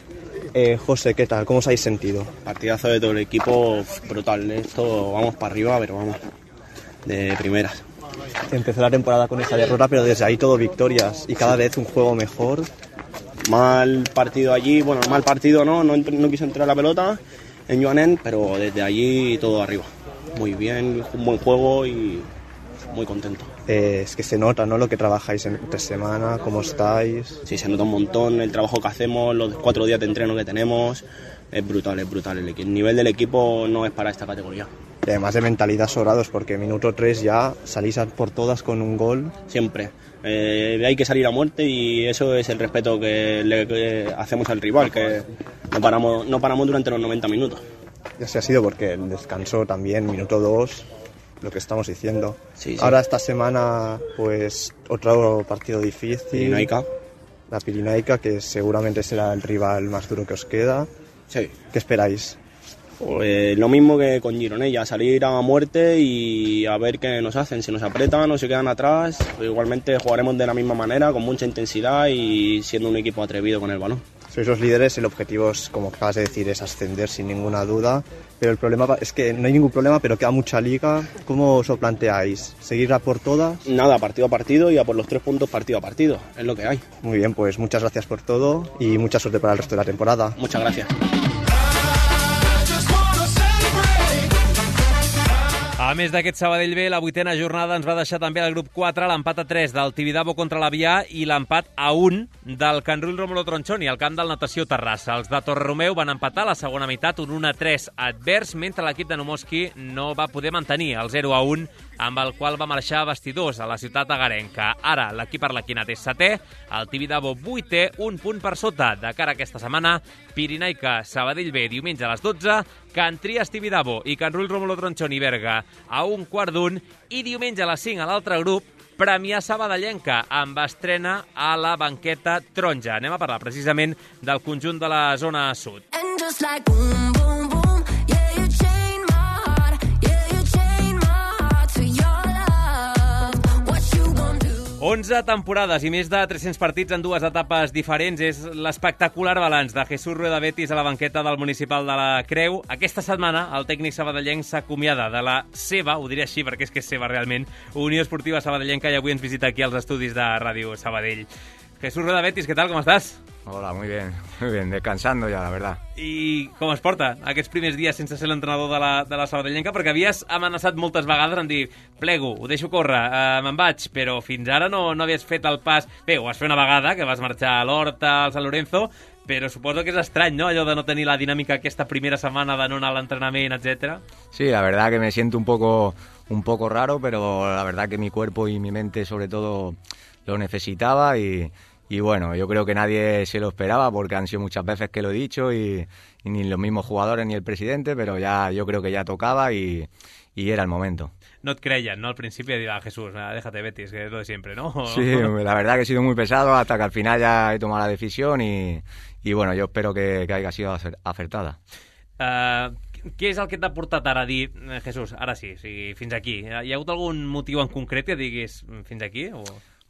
Eh, José, ¿qué tal? ¿Cómo os habéis sentido? Partidazo de todo el equipo, brutal. Esto vamos para arriba, pero vamos, de primeras. Empezó la temporada con esa derrota, pero desde ahí todo victorias y cada vez un juego mejor. Mal partido allí, bueno, mal partido no, no, no quiso entrar la pelota en Joanen, pero desde allí todo arriba. Muy bien, un buen juego y muy contento. Eh, es que se nota, ¿no?, lo que trabajáis entre semana, cómo estáis. Sí, se nota un montón el trabajo que hacemos, los cuatro días de entreno que tenemos. Es brutal, es brutal. El, el nivel del equipo no es para esta categoría. Y además de mentalidad sobrados, porque minuto tres ya salís a por todas con un gol. Siempre. Eh, hay que salir a muerte y eso es el respeto que le que hacemos al rival, que no paramos, no paramos durante los noventa minutos. Y así ha sido porque el descanso también, minuto dos, lo que estamos diciendo. Sí, sí. Ahora esta semana, pues, otro partido difícil. Pirinaica. La Pirinaica, que seguramente será el rival más duro que os queda. Sí. ¿Qué esperáis? Pues lo mismo que con Gironella, salir a muerte y a ver qué nos hacen, si nos apretan o se quedan atrás. Igualmente jugaremos de la misma manera, con mucha intensidad y siendo un equipo atrevido con el balón. Sois los líderes, el objetivo es, como acabas de decir, es ascender sin ninguna duda, pero el problema es que no hay ningún problema, pero queda mucha liga. ¿Cómo os lo planteáis? ¿Seguir a por todas? Nada, partido a partido y a por los tres puntos partido a partido, es lo que hay. Muy bien, pues muchas gracias por todo y mucha suerte para el resto de la temporada. Muchas gracias. A més d'aquest Sabadell B, la vuitena jornada ens va deixar també el grup quatre, l'empat a tres del Tibidabo contra l'Avià i l'empat a un del Can Rull Rómulo Tronchoni, al camp del Natació Terrassa. Els de Torreromeu van empatar a la segona meitat, un un a tres advers, mentre l'equip de Nomoski no va poder mantenir el zero a un, amb el qual va marxar a vestidors a la ciutat agarenca. Ara l'equip arlequinat és setè, el Tibidabo vuitè, un punt per sota. De cara a aquesta setmana, Pirinaica, Sabadell B, diumenge a les dotze, Can Trias Tibidabo i Can Rull Rómulo Tronchoni Berga a un quart d'un, i diumenge a les cinc a l'altre grup, Premià Sabadellenca, amb estrena a la banqueta taronja. Anem a parlar precisament del conjunt de la zona sud. And just like boom, boom, boom, yeah, you chain my heart, yeah, you chain my heart to your love. What you gonna do? onze temporades i més de tres-cents partits en dues etapes diferents és l'espectacular balanç de Jesús Rueda Betis a la banqueta del Municipal de la Creu. Aquesta setmana el tècnic sabadellenc s'acomiada de la seva, ho diré així perquè és que és seva realment, Unió Esportiva Sabadellenca, i avui ens visita aquí als estudis de Ràdio Sabadell. Jesús Rueda Betis, ¿qué tal? ¿Cómo estás? Hola, muy bien, muy bien, descansando ya, la verdad. I com es porta aquests primers dies sense ser l'entrenador de la, de la Sabadellenca? Perquè havies amenaçat moltes vegades en dir plego, ho deixo córrer, eh, me'n vaig, però fins ara no, no havies fet el pas... Bé, ho vas fer una vegada, que vas marxar a l'Horta, al San Lorenzo, però suposo que és estrany, ¿no?, allò de no tenir la dinàmica aquesta primera setmana de no anar a l'entrenament, etcétera. Sí, la verdad que me siento un poco, un poco raro, pero la verdad que mi cuerpo y mi mente sobre todo lo necesitaba y... Y bueno, yo creo que nadie se lo esperaba porque han sido muchas veces que lo he dicho y, y ni los mismos jugadores ni el presidente, pero ya yo creo que ya tocaba y, y era el momento. No et creien, ¿no? Al principio dirá Jesús, déjate Betis, que es lo de siempre, ¿no? Sí, la verdad que he sido muy pesado hasta que al final ya he tomado la decisión y, y bueno, yo espero que, que haya sido acertada. Uh, què és el que t'ha portat ara a dir, Jesús, ara sí, sí, fins aquí? Hi ha hagut algun motiu en concret que diguis fins aquí? O...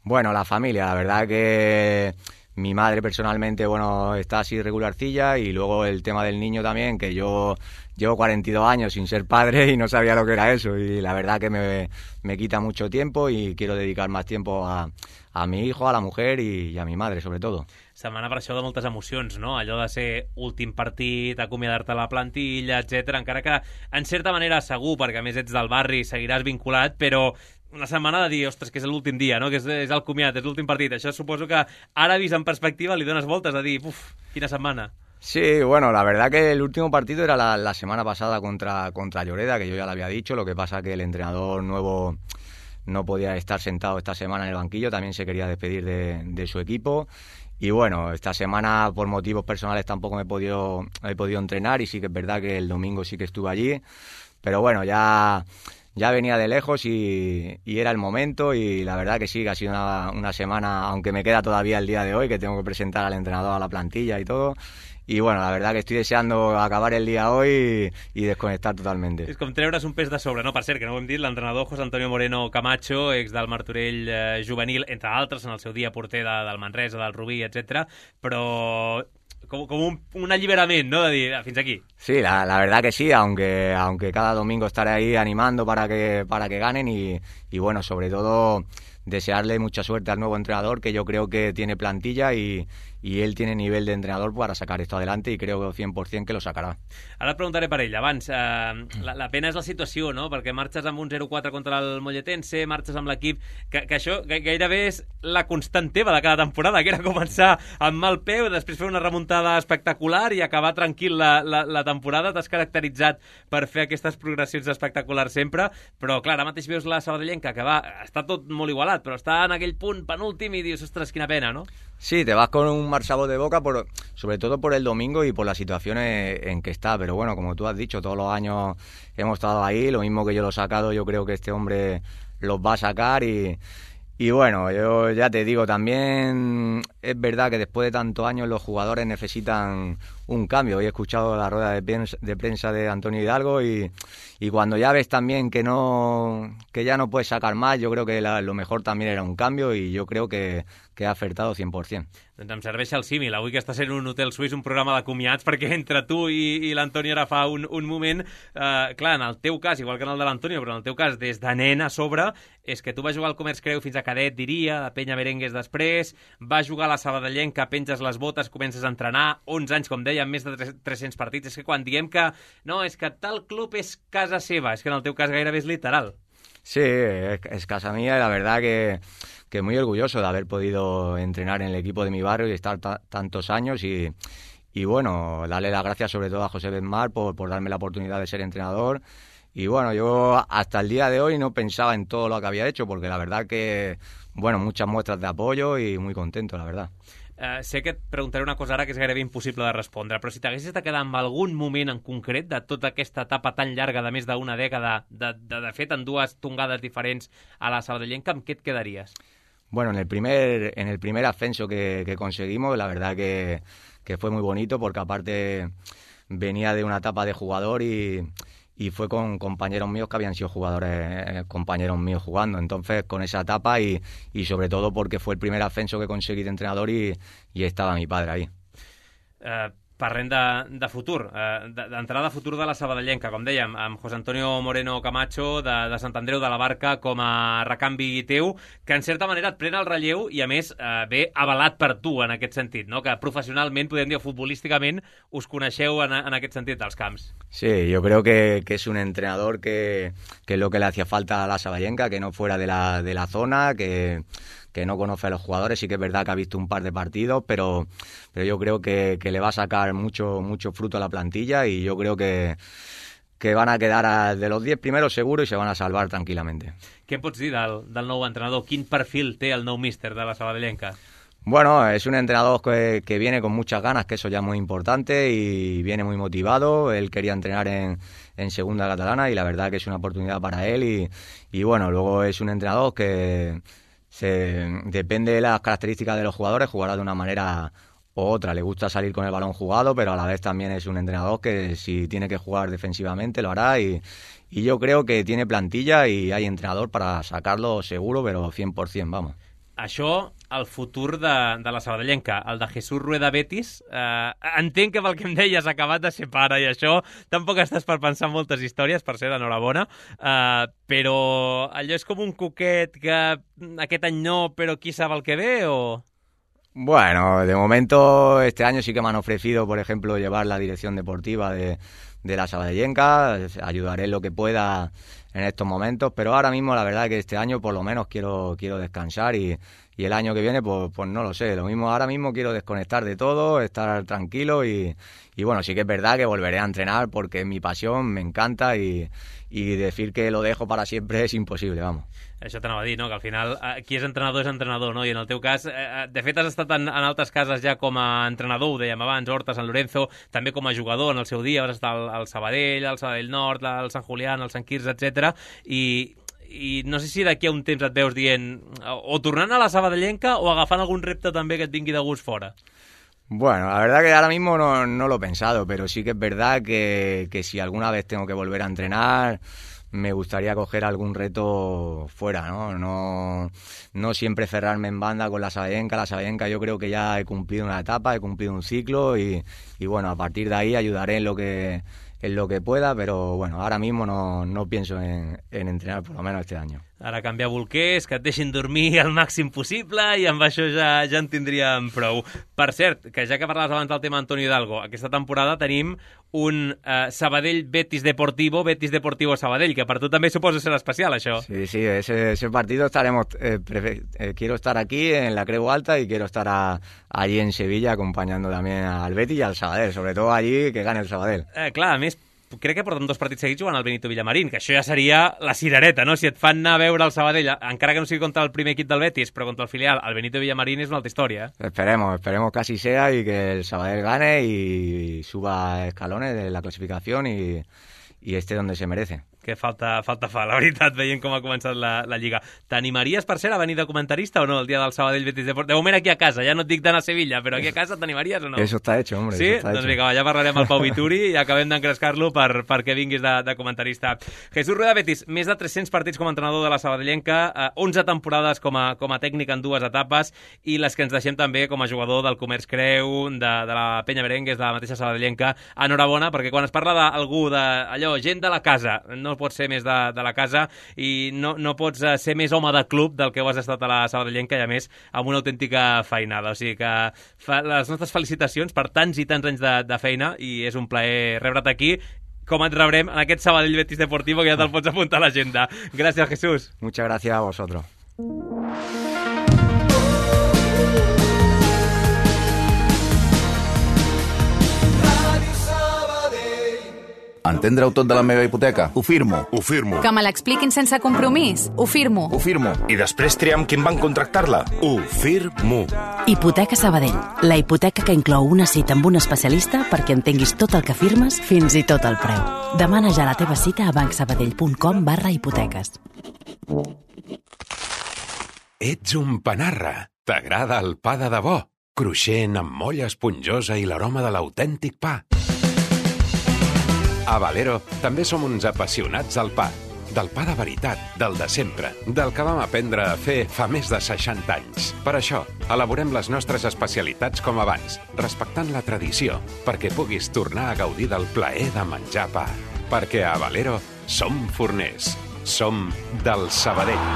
Bueno, la familia, la verdad que mi madre personalmente, bueno, está así regularcilla y luego el tema del niño también, que yo llevo cuarenta y dos años sin ser padre y no sabía lo que era eso y la verdad que me, me quita mucho tiempo y quiero dedicar más tiempo a, a mi hijo, a la mujer y, y a mi madre, sobre todo. Setmana per això de moltes emocions, no? Allò de ser últim partit, acomiadar-te a la plantilla, etcètera. Encara que, en certa manera, segur, perquè a més ets del barri, seguiràs vinculat, però una setmana de dir, ostres, que és l'últim dia, no? Que és, és el comiat, és l'últim partit. Això suposo que ara, vist en perspectiva, li dones voltes a dir, uf, quina setmana. Sí, bueno, la verdad que el último partido era la, la semana pasada contra, contra Lloreda, que yo ya lo había dicho, lo que pasa que el entrenador nuevo no podía estar sentado esta semana en el banquillo, también se quería despedir de, de su equipo. Y bueno, esta semana por motivos personales tampoco me he podido, he podido entrenar y sí que es verdad que el domingo sí que estuve allí, pero bueno, ya, ya venía de lejos y, y era el momento y la verdad que sí, que ha sido una, una semana, aunque me queda todavía el día de hoy, que tengo que presentar al entrenador a la plantilla y todo. Y bueno, la verdad que estoy deseando acabar el día hoy y, y desconectar totalmente. És com treure's un pes de sobre, no? Per cert, que no ho hem dit, l'entrenador José Antonio Moreno Camacho, ex del Martorell eh, juvenil, entre altres, en el seu dia porter de, del Manresa, del Rubí, etcètera. Però com, com un, un alliberament, ¿no? De dir, fins aquí. Sí, la, la verdad que sí, aunque, aunque cada domingo estaré ahí animando para que, para que ganen y, y bueno, sobre todo desearle mucha suerte al nuevo entrenador, que yo creo que tiene plantilla y, y él tiene nivel de entrenador para sacar esto adelante y creo cent per cent que lo sacarà. Ara et preguntaré per ell. Abans, eh, la, la pena és la situació, no? Perquè marxes amb un zero quatre contra el Molletense, marxes amb l'equip, que, que això gairebé és la constant teva de cada temporada, que era començar amb mal peu, després fer una remuntada espectacular i acabar tranquil la, la, la temporada. T'has caracteritzat per fer aquestes progressions espectaculars sempre, però clar, ara mateix veus la Sabadellenca, que va, està tot molt igualat, però està en aquell punt penúltim i dius, ostres, quina pena, no? Sí, te vas con un mal sabor de boca, por, sobre todo por el domingo y por las situaciones en que está. Pero bueno, como tú has dicho, todos los años hemos estado ahí, lo mismo que yo lo he sacado, yo creo que este hombre los va a sacar y, y bueno, yo ya te digo, también es verdad que después de tantos años los jugadores necesitan un cambio. Hoy he escuchado la rueda de prensa de, prensa de Antonio Hidalgo y, y cuando ya ves también que no que ya no puedes sacar más, yo creo que la, lo mejor también era un cambio y yo creo que, que ha acertado cent per cent. Doncs em serveix el símil, avui que està sent un hotel suís, un programa de comiats, perquè entre tu i, i l'Antoni ara fa un, un moment, eh, clar, en el teu cas, igual que en el de l'Antonio, però en el teu cas, des de nen a sobre, és que tu vas jugar al Comerç Creu fins a cadet, diria, la Penya Merengues després, vas jugar a la Sabadellenca, penges les botes, comences a entrenar, onze anys, com deia, amb més de tres-cents partits. És que quan diem que, no, és que tal club és casa seva, és que en el teu cas gairebé és literal. Sí, es, es casa mía y la verdad que, que muy orgulloso de haber podido entrenar en el equipo de mi barrio y estar ta, tantos años y, y bueno, darle las gracias sobre todo a José Benmar por, por darme la oportunidad de ser entrenador y bueno, yo hasta el día de hoy no pensaba en todo lo que había hecho porque la verdad que, bueno, muchas muestras de apoyo y muy contento, la verdad. Uh, sé que et preguntaré una cosa ara que és gairebé impossible de respondre, però si t'haguessis de quedar amb algun moment en concret de tota aquesta etapa tan llarga de més d'una dècada, de, de, de fet en dues tongades diferents a la Sabadellenca, amb què et quedaries? Bueno, en el primer, en el primer ascenso que, que conseguimos, la verdad que, que fue muy bonito porque aparte venía de una etapa de jugador y, y fue con compañeros míos que habían sido jugadores, eh, compañeros míos jugando. Entonces, con esa etapa y, y sobre todo porque fue el primer ascenso que conseguí de entrenador y, y estaba mi padre ahí. Uh, parlem de, de futur, uh, d'entrada de futur de la sabadellenca, com dèiem, amb José Antonio Moreno Camacho de, de Sant Andreu de la Barca com a recanvi teu, que en certa manera et pren el relleu i a més uh, ve avalat per tu en aquest sentit, no? Que professionalment, podem dir, futbolísticament, us coneixeu en, en aquest sentit dels camps. Sí, yo creo que, que es un entrenador que, que es lo que le hacía falta a la sabadellenca, que no fuera de la, de la zona, que... que no conoce a los jugadores, sí que es verdad que ha visto un par de partidos, pero, pero yo creo que, que le va a sacar mucho, mucho fruto a la plantilla y yo creo que, que van a quedar a, de los diez primeros seguro y se van a salvar tranquilamente. Què em pots dir del, del nou entrenador? Quin perfil té el nou míster de la sabadellenca? Bueno, es un entrenador que, que viene con muchas ganas, que eso ya es muy importante, y viene muy motivado. Él quería entrenar en, en segunda catalana y la verdad que es una oportunidad para él y, y bueno, luego es un entrenador que... Se, depende de las características de los jugadores, jugará de una manera u otra. Le gusta salir con el balón jugado, pero a la vez también es un entrenador que si tiene que jugar defensivamente lo hará y, y yo creo que tiene plantilla y hay entrenador para sacarlo seguro, pero cien por cien, vamos. Això, el futur de, de la sabadellenca, el de Jesús Rueda Betis, eh, entenc que pel que em deies ha acabat de ser pare i això tampoc estàs per pensar moltes històries, per ser enhorabona, eh, però allò és com un coquet que aquest any no, però qui sap el que ve, o...? Bueno, de momento este año sí que me han ofrecido, por ejemplo, llevar la dirección deportiva de, de la sabadellenca, ayudaré en lo que pueda en estos momentos, pero ahora mismo la verdad es que este año por lo menos quiero, quiero descansar y, y el año que viene pues, pues no lo sé, lo mismo ahora mismo quiero desconectar de todo, estar tranquilo y, y bueno, sí que es verdad que volveré a entrenar porque es mi pasión, me encanta y, y decir que lo dejo para siempre es imposible, vamos. Això t'anava a dir, no? Que al final eh, qui és entrenador és entrenador, no? I en el teu cas, eh, de fet has estat en, en altres cases ja com a entrenador, ho dèiem abans, Horta, Sant Lorenzo, també com a jugador en el seu dia, vas estar al, al Sabadell, al Sabadell Nord, al Sant Julián, al Sant Quirze, etcètera. I, i no sé si d'aquí a un temps et veus dient o tornant a la sabadellenca o agafant algun repte també que et vingui de gust fora. Bueno, la verdad que ahora mismo no, no lo he pensado, pero sí que es verdad que, que si alguna vez tengo que volver a entrenar, me gustaría coger algún reto fuera, ¿no? No, no siempre cerrarme en banda con la sabadellenca. La sabadellenca yo creo que ya he cumplido una etapa, he cumplido un ciclo y, y bueno, a partir de ahí ayudaré en lo que, en lo que pueda, pero bueno, ahora mismo no, no pienso en, en entrenar por lo menos este año. Ara canviar bolquers, que et deixin dormir al màxim possible i amb això ja, ja en tindríem prou. Per cert, que ja que parlaves abans del tema Antonio Hidalgo, aquesta temporada tenim un eh, Sabadell Betis Deportivo, Betis Deportivo Sabadell, que per tu també suposa ser especial, això. Sí, sí, ese, ese partido estaremos, eh, prefe- eh, quiero estar aquí en la Creu Alta y quiero estar a, allí en Sevilla acompañando también al Betis y al Sabadell, sobre todo allí que gane el Sabadell. Eh, clar, a més, crec que porten dos partits seguits jugant al Benito Villamarín, que això ja seria la cirereta, no? Si et fan anar a veure el Sabadell, encara que no sigui contra el primer equip del Betis, però contra el filial, el Benito Villamarín és una altra història. Eh? Esperemos, esperemos que así sea y que el Sabadell gane y suba escalones de la clasificación y, y esté donde se merece. Que falta, falta fa, la veritat, veient com ha començat la, la Lliga. T'animaries, per ser, a venir de comentarista o no, el dia del Sabadell Betis Deport? De moment aquí a casa, ja no et dic d'anar a Sevilla, però aquí a casa t'animaries o no? Eso está hecho, hombre. Sí? Eso está Doncs hecho. vinga, ja parlarem al Pau Vituri i acabem d'encrescar-lo per, perquè vinguis de, de comentarista. Jesús Rueda Betis, més de tres-cents partits com a entrenador de la sabadellenca, eh, onze temporades com a, com a tècnic en dues etapes i les que ens deixem també com a jugador del Comerç Creu, de, de la Penya Merengues, de la mateixa sabadellenca. Enhorabona, perquè quan es parla d'algú, d'allò, gent de la casa, no pot ser més de, de la casa i no, no pots ser més home de club del que ho has estat a la sabadellenca i a més amb una autèntica feinada, o sigui que fa, les nostres felicitacions per tants i tants anys de, de feina i és un plaer rebre't aquí com et rebrem en aquest Sabadell Betis Deportivo que ja te'l pots apuntar a l'agenda. Gràcies, Jesús. Muchas gracias a vosotros. Entendre-ho tot de la meva hipoteca? Ho firmo. Ho firmo. Que me l'expliquin sense compromís? Ho firmo. Ho firmo. I després triar amb qui van contractar-la? Ho firmo. Hipoteca Sabadell, la hipoteca que inclou una cita amb un especialista perquè entenguis tot el que firmes, fins i tot el preu. Demana ja la teva cita a bancsabadell.com barra hipoteques. Ets un panarra. T'agrada el pa de debò? Cruixent, amb molla esponjosa i l'aroma de l'autèntic pa. A Valero també som uns apassionats del pa. Del pa de veritat, del de sempre, del que vam aprendre a fer fa més de seixanta anys. Per això, elaborem les nostres especialitats com abans, respectant la tradició, perquè puguis tornar a gaudir del plaer de menjar pa. Perquè a Valero som forners. Som del Sabadell.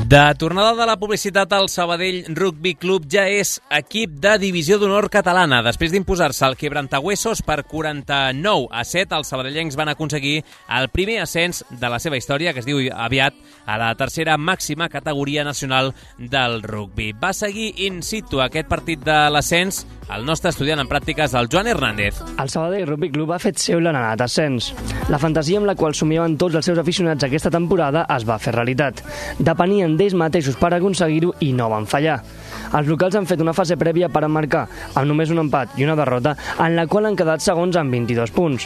De tornada de la publicitat, el Sabadell Rugby Club ja és equip de divisió d'honor catalana. Després d'imposar-se el Quebrantahuesos per quaranta-nou a set, els sabadellencs van aconseguir el primer ascens de la seva història, que es diu aviat, a la tercera màxima categoria nacional del rugby. Va seguir in situ aquest partit de l'ascens el nostre estudiant en pràctiques, el Joan Hernández. El Sabadell Rugby Club ha fet seu l'anhelat ascens. La fantasia amb la qual somiaven tots els seus aficionats aquesta temporada es va fer realitat. Depenien d'ells mateixos per aconseguir-ho i no van fallar. Els locals han fet una fase prèvia per emmarcar, amb només un empat i una derrota, en la qual han quedat segons amb vint-i-dos punts.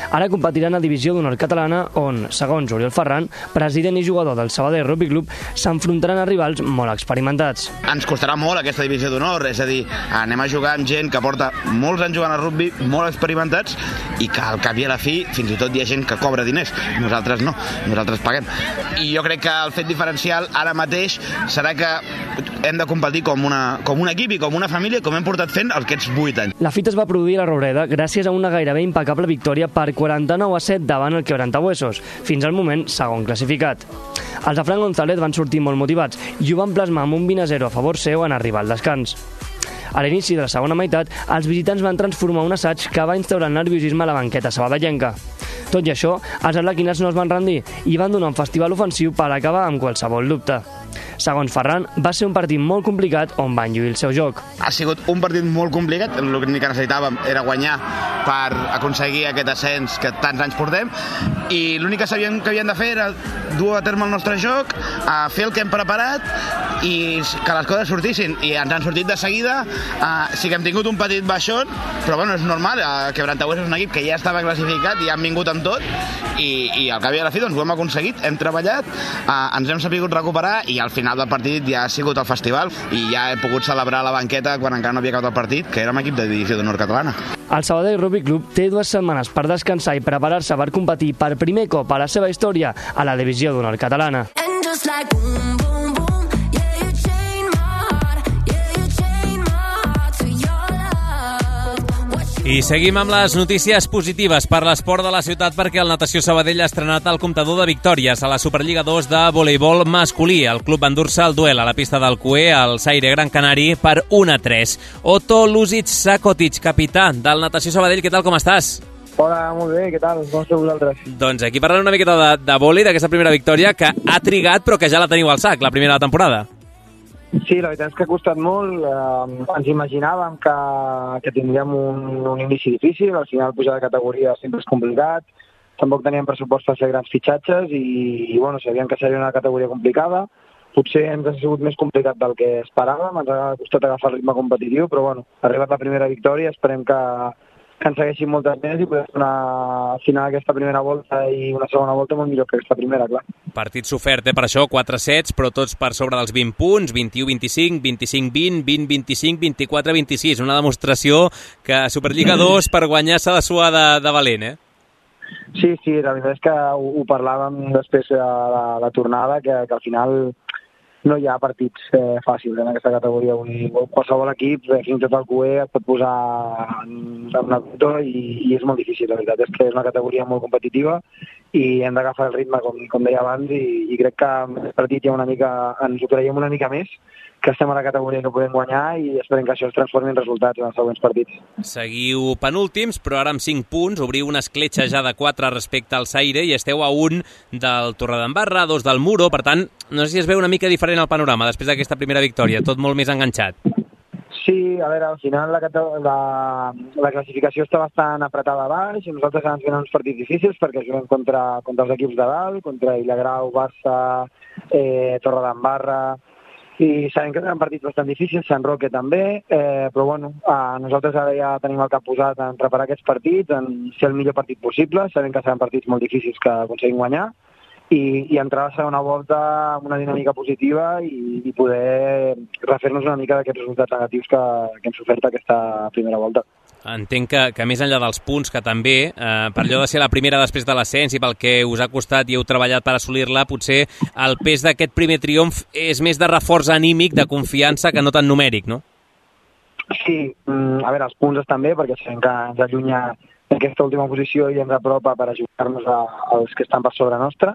Ara competiran a Divisió d'Honor Catalana, on, segons Oriol Ferran, president i jugador del Sabadell Rugby Club, s'enfrontaran a rivals molt experimentats. Ens costarà molt aquesta Divisió d'Honor, és a dir, anem a jugar amb gent que porta molts anys jugant a rugby, molt experimentats, i que al cap i a la fi, fins i tot hi ha gent que cobra diners. Nosaltres no, nosaltres paguem. I jo crec que el fet diferencial ara mateix serà que hem de competir com una, com un equip i com una família, com hem portat fent aquests vuit anys. La fita es va produir a la Roureda gràcies a una gairebé impecable victòria per quaranta-nou a set davant el Quebrantahuesos, fins al moment segon classificat. Els de Fran González van sortir molt motivats i ho van plasmar amb un vint a zero a favor seu en arribar al descans. A l'inici de la segona meitat, els visitants van transformar un assaig que va instaurar el nerviosisme a la banqueta sabadellenca. Tot i això, els arlequinats no es van rendir i van donar un festival ofensiu per acabar amb qualsevol dubte. Segons Ferran, va ser un partit molt complicat on van lluir el seu joc. Ha sigut un partit molt complicat, l'únic que necessitàvem era guanyar per aconseguir aquest ascens que tants anys portem, i l'únic que sabíem que havíem de fer era dur a terme el nostre joc, a fer el que hem preparat i que les coses sortissin, i ens han sortit de seguida. Uh, sí que hem tingut un petit baixón, però bueno, és normal, uh, Quebrantahuesos és un equip que ja estava classificat i han vingut amb tot, i, i al cap i a la fi doncs, ho hem aconseguit, hem treballat, uh, ens hem sabut recuperar, i al final del partit ja ha sigut el festival i ja he pogut celebrar la banqueta quan encara no havia acabat el partit, que érem equip de Divisió d'Honor Catalana. El Sabadell Rugby Club té dues setmanes per descansar i preparar-se per competir per primer cop a la seva història a la Divisió d'Honor Catalana. I seguim amb les notícies positives per l'esport de la ciutat, perquè el Natació Sabadell ha estrenat el comptador de victòries a la Superliga dos de voleibol masculí. El club va endur-se el duel a la pista del Cué, al Zaire Gran Canari, per un a tres. Otto Luzic Sakotic, capità del Natació Sabadell, què tal, com estàs? Hola, molt bé, què tal? Com esteu vosaltres? Doncs aquí parlant una miqueta de, de vòlei, d'aquesta primera victòria, que ha trigat però que ja la teniu al sac, la primera de la temporada. Sí, la veritat és que ha costat molt. Eh, ens imaginàvem que, que tindríem un, un inici difícil, al final pujar de categoria sempre és complicat, tampoc teníem pressupost per fer grans fitxatges i, i bueno, sabíem que seria una categoria complicada. Potser ens ha sigut més complicat del que esperàvem, ens ha costat agafar el ritme competitiu, però bueno, ha arribat la primera victòria, esperem que, que ens segueixin moltes més i poder fer una final aquesta primera volta i una segona volta molt millor que aquesta primera, clar. Partit sofert, eh, per això, quatre sets, però tots per sobre dels vint punts, vint-i-u vint-i-cinc, vint-i-cinc vint, vint vint-i-cinc, vint-i-quatre vint-i-sis. Una demostració que Superliga dos per guanyar s'ha de suar de, de valent, eh? Sí, sí, la veritat és que ho, ho parlàvem després de la, la tornada, que, que al final no hi ha partits eh, fàcils en aquesta categoria. Vull, qualsevol equip, eh, fins i tot el Cué, et pot posar en, en una cotó i, i és molt difícil. La veritat és que és una categoria molt competitiva i hem d'agafar el ritme, com, com deia abans, i, i crec que en aquest partit ja una mica, ens ho creiem una mica més, que estem a la categoria que podem guanyar i esperem que això es transformi en resultats en els següents partits. Seguiu penúltims, però ara amb cinc punts, obriu una escletxa ja de quatre respecte al Zaire i esteu a un del Torredembarra, dos del Muro, per tant, no sé si es veu una mica diferent el panorama després d'aquesta primera victòria, tot molt més enganxat. Sí, a veure, al final la, la, la classificació està bastant apretada a baix i nosaltres ens venen uns partits difícils perquè juguem contra, contra els equips de dalt, contra Villagrau, Barça, eh, Torredembarra, i sabem que seran partits bastant difícils, Sant Roque també, eh, però bueno, eh, nosaltres ara ja tenim el cap posat en preparar aquests partits, en ser el millor partit possible, sabem que seran partits molt difícils que aconseguim guanyar, i, i entrar a la segona volta amb una dinàmica positiva i, i poder refer-nos una mica d'aquests resultats negatius que, que hem sofert aquesta primera volta. Entenc que, que més enllà dels punts, que també, eh, per allò de ser la primera després de l'ascens i pel que us ha costat i heu treballat per assolir-la, potser el pes d'aquest primer triomf és més de reforç anímic, de confiança, que no tan numèric, no? Sí, a veure, els punts estan bé, perquè sabem que ens allunya d'aquesta última posició i ens apropa per ajudar-nos als que estan per sobre nostra,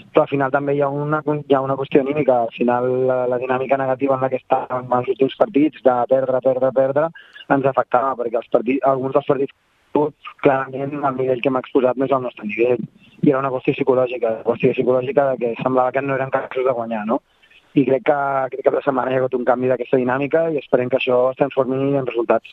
però al final també hi ha una, hi ha una qüestió anímica. Al final la, la dinàmica negativa en la que estàvem els últims partits, de perdre, perdre, perdre, ens afectava, perquè els partits, alguns dels partits clarament el nivell que hem exposat no és el nostre nivell. I era una qüestió psicològica, una qüestió psicològica de que semblava que no eren capaços de guanyar, no? I crec que aquest cap de setmana hi ha hagut un canvi d'aquesta dinàmica i esperem que això es transformi en resultats.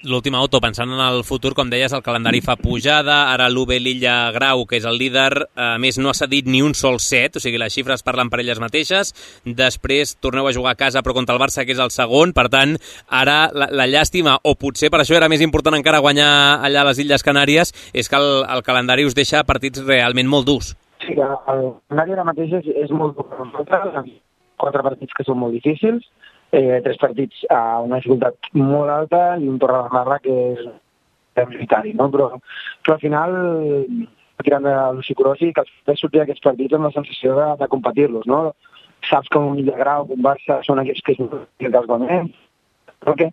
L'última auto, pensant en el futur, com deies, el calendari fa pujada, ara l'U B Lilla Grau, que és el líder, a més no ha cedit ni un sol set, o sigui, les xifres parlen per elles mateixes, després torneu a jugar a casa però contra el Barça, que és el segon, per tant, ara la, la llàstima, o potser per això era més important encara guanyar allà a les Illes Canàries, és que el, el calendari us deixa partits realment molt durs. Sí, el calendari ara mateix és, és molt dur per nosaltres, quatre partits que són molt difícils, eh, tres partits a una dificultat molt alta i un Torredembarra que és prioritari, no? Però, però al final, tirant de lo psicològic, els sortir d'aquests partits amb la sensació de, de competir-los, no? Saps que un Illa Grau, un Barça, són equips que és dels guanyem, okay?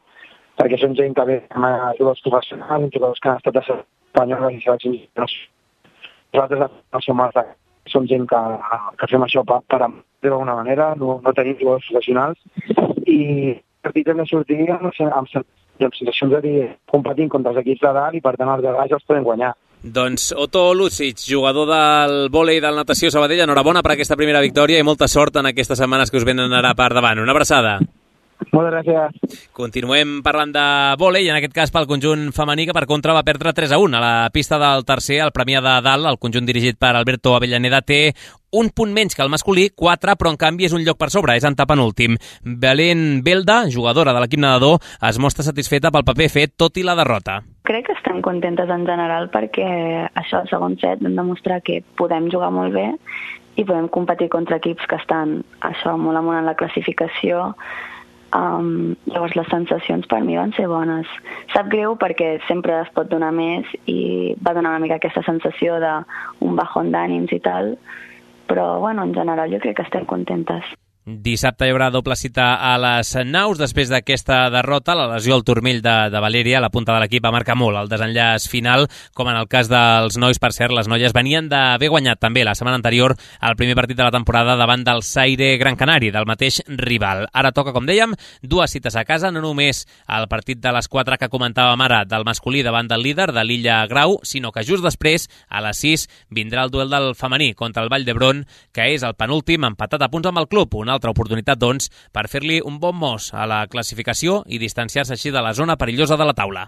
Perquè són gent que ve amb jugadors professionals, jugadors que han estat a espanyoles i seleccions internacionals. Nosaltres, no som els de som gent que, que fem això per, per d'alguna manera, no, no tenim jugadors professionals i els partits hem de sortir amb, amb, amb sensacions de dir competint contra els equips de dalt i per tant els de baix els podem guanyar. Doncs Otto Lucic, jugador del vòlei del Natació Sabadell, enhorabona per aquesta primera victòria i molta sort en aquestes setmanes que us venen ara per davant. Una abraçada. Moltes gràcies. Continuem parlant de vòlei, i en aquest cas pel conjunt femení, que per contra va perdre tres a un a la pista del tercer, el Premià de Dalt. El conjunt dirigit per Alberto Avellaneda té un punt menys que el masculí, quatre, però en canvi és un lloc per sobre, és antepenúltim. Belén Belda, jugadora de l'equip nedador, es mostra satisfeta pel paper fet, tot i la derrota. Crec que estem contentes en general perquè això, el segon set, vam demostrar que podem jugar molt bé i podem competir contra equips que estan això molt amunt en la classificació. Um, llavors les sensacions per mi van ser bones. Sap greu perquè sempre es pot donar més i va donar una mica aquesta sensació d'un bajón d'ànims i tal, però bueno, en general jo crec que estem contentes. Dissabte hi haurà doble cita a les Naus. Després d'aquesta derrota, la lesió al turmell de, de Valèria, la punta de l'equip, va marcar molt el desenllaç final, com en el cas dels nois. Per cert, les noies venien d'haver guanyat també la setmana anterior el primer partit de la temporada davant del Zaire Gran Canari, del mateix rival. Ara toca, com dèiem, dues cites a casa, no només el partit de les quatre que comentàvem ara del masculí davant del líder, de l'Illa Grau, sinó que just després, a les sis, vindrà el duel del femení contra el Vall d'Hebron, que és el penúltim, empatat a punts amb el club. Una altra oportunitat, doncs, per fer-li un bon mos a la classificació i distanciar-se així de la zona perillosa de la taula.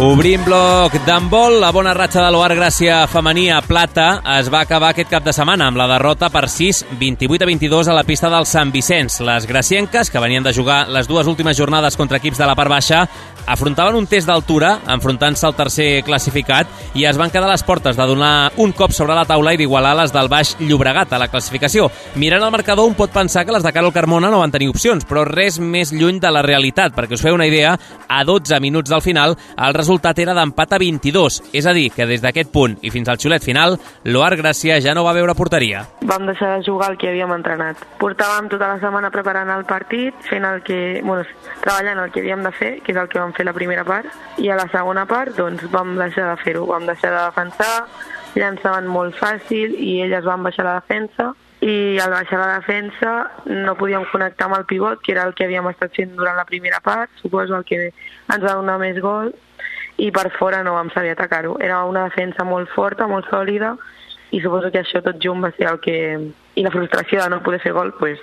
Obrim bloc d'handbol. La bona ratxa de l'Oar Gràcia femení a plata es va acabar aquest cap de setmana amb la derrota per sis, vint-i-vuit a vint-i-dos a la pista del Sant Vicenç. Les gracienques, que venien de jugar les dues últimes jornades contra equips de la part baixa, afrontaven un test d'altura, enfrontant-se al tercer classificat, i es van quedar a les portes de donar un cop sobre la taula i d'igualar les del Baix Llobregat a la classificació. Mirant el marcador, un pot pensar que les de Carol Carmona no van tenir opcions, però res més lluny de la realitat. Perquè us feu una idea, a dotze minuts del final, el resultat era d'empat a vint-i-dos, és a dir, que des d'aquest punt i fins al xiulet final, l'Oar Gràcia ja no va veure porteria. Vam deixar de jugar el que havíem entrenat. Portàvem tota la setmana preparant el partit, fent el que, bueno, treballant el que havíem de fer, que és el que vam fer la primera part, i a la segona part doncs vam deixar de fer-ho, vam deixar de defensar, llançaven molt fàcil i elles van baixar la defensa, i al baixar la defensa no podíem connectar amb el pivot, que era el que havíem estat fent durant la primera part, suposo el que ens va donar més gol, i per fora no vam saber atacar-ho. Era una defensa molt forta, molt sòlida, i suposo que això tot junt va ser el que... I la frustració de no poder fer gol, pues,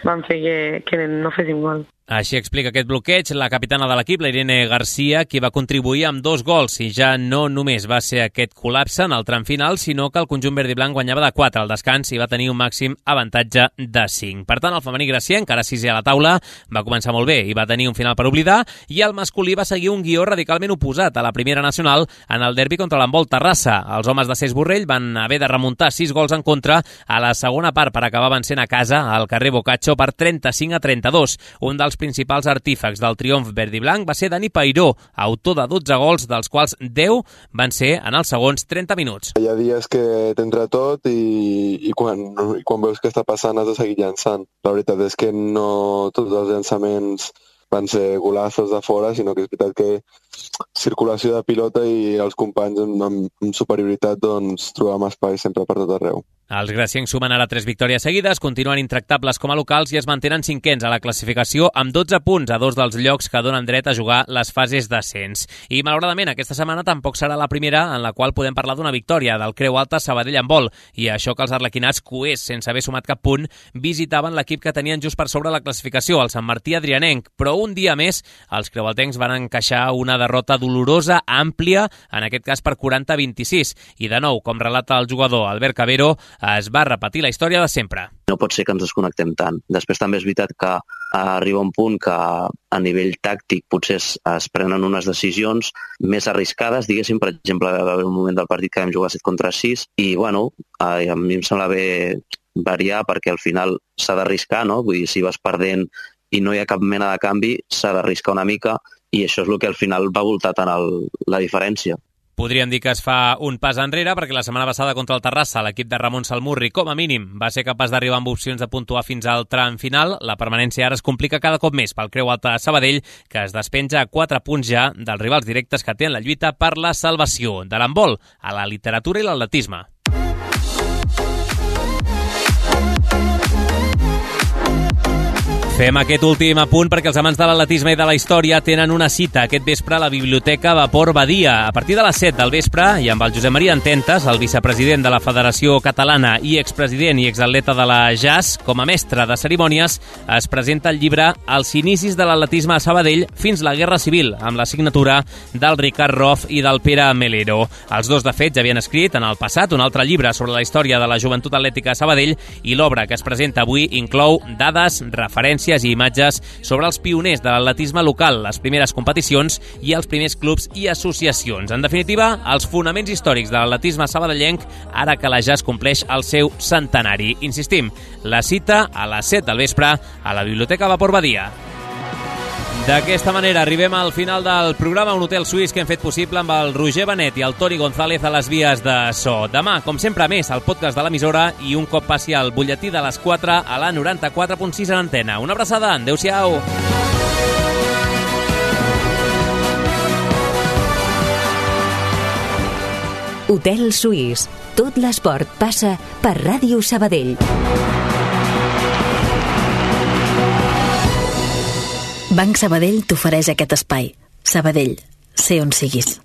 van fer que, que no féssim gol. Així explica aquest bloqueig la capitana de l'equip, la Irene Garcia, qui va contribuir amb dos gols i ja no només va ser aquest col·lapse en el tram final, sinó que el conjunt verd i blanc guanyava de quatre al descans i va tenir un màxim avantatge de cinc. Per tant, el femení gracienc, encara sisè a la taula, va començar molt bé i va tenir un final per oblidar, i el masculí va seguir un guió radicalment oposat a la primera nacional en el derbi contra l'Handbol Terrassa. Els homes de Cesc Borrell van haver de remuntar sis gols en contra a la segona part per acabar vencent a casa al carrer Boccaccio per trenta-cinc a trenta-dos. Un dels principals artífecs del triomf verd i blanc va ser Dani Peiró, autor de dotze gols, dels quals deu van ser en els segons trenta minuts. Hi ha dies que t'entra tot i, i, quan, i quan veus què està passant has de seguir llançant. La veritat és que no tots els llançaments van ser golazos de fora, sinó que és veritat que circulació de pilota i els companys amb, amb superioritat doncs, trobàvem espai sempre per tot arreu. Els graciencs sumen ara tres victòries seguides, continuen intractables com a locals i es mantenen cinquens a la classificació amb dotze punts a dos dels llocs que donen dret a jugar les fases d'ascens. I malauradament aquesta setmana tampoc serà la primera en la qual podem parlar d'una victòria del Creu Alta Sabadell Handbol, i això que els arlequinats, coers sense haver sumat cap punt, visitaven l'equip que tenien just per sobre la classificació, el Sant Martí Adrianenc, però un dia més els creualtencs van encaixar una derrota dolorosa, àmplia, en aquest cas per quaranta a vint-i-sis, i de nou, com relata el jugador Albert Cabero, es va repetir la història de sempre. No pot ser que ens desconnectem tant. Després també és veritat que arriba un punt que a nivell tàctic potser es, es prenen unes decisions més arriscades, diguéssim, per exemple, va haver un moment del partit que vam jugar set contra sis i, bueno, a, a mi em sembla bé variar perquè al final s'ha d'arriscar, no? Vull dir, si vas perdent i no hi ha cap mena de canvi, s'ha d'arriscar una mica i això és el que al final va voltar tant el, la diferència. Podríem dir que es fa un pas enrere perquè la setmana passada contra el Terrassa l'equip de Ramon Salmurri, com a mínim, va ser capaç d'arribar amb opcions de puntuar fins al tram final. La permanència ara es complica cada cop més pel Creu Alta Sabadell, que es despenja a quatre punts ja dels rivals directes que tenen la lluita per la salvació. De l'handbol a la literatura i l'atletisme. Fem aquest últim apunt perquè els amants de l'atletisme i de la història tenen una cita aquest vespre a la Biblioteca Vapor Badia. A partir de les set del vespre, i amb el Josep Maria Ententes, el vicepresident de la Federació Catalana i expresident i exatleta de la J A S, com a mestre de cerimònies, es presenta el llibre Els inicis de l'atletisme a Sabadell fins la Guerra Civil, amb la signatura del Ricard Roff i del Pere Melero. Els dos, de fet, ja havien escrit en el passat un altre llibre sobre la història de la joventut atlètica a Sabadell, i l'obra que es presenta avui inclou dades, referències i imatges sobre els pioners de l'atletisme local, les primeres competicions i els primers clubs i associacions. En definitiva, els fonaments històrics de l'atletisme sabadellenc ara que la J A S compleix el seu centenari. Insistim, la cita a les set del vespre a la Biblioteca Vapor Badia. D'aquesta manera arribem al final del programa Un Hotel Suís que hem fet possible amb el Roger Benet i el Toni González a les vies de so. Demà, com sempre, més el podcast de l'emissora i un cop passi al butlletí de les quatre a la noranta-quatre punt sis en antena. Una abraçada, adeu-siau! Hotel Suís. Tot l'esport passa per Ràdio Sabadell. Banc Sabadell t'ofereix aquest espai. Sabadell, sé on siguis.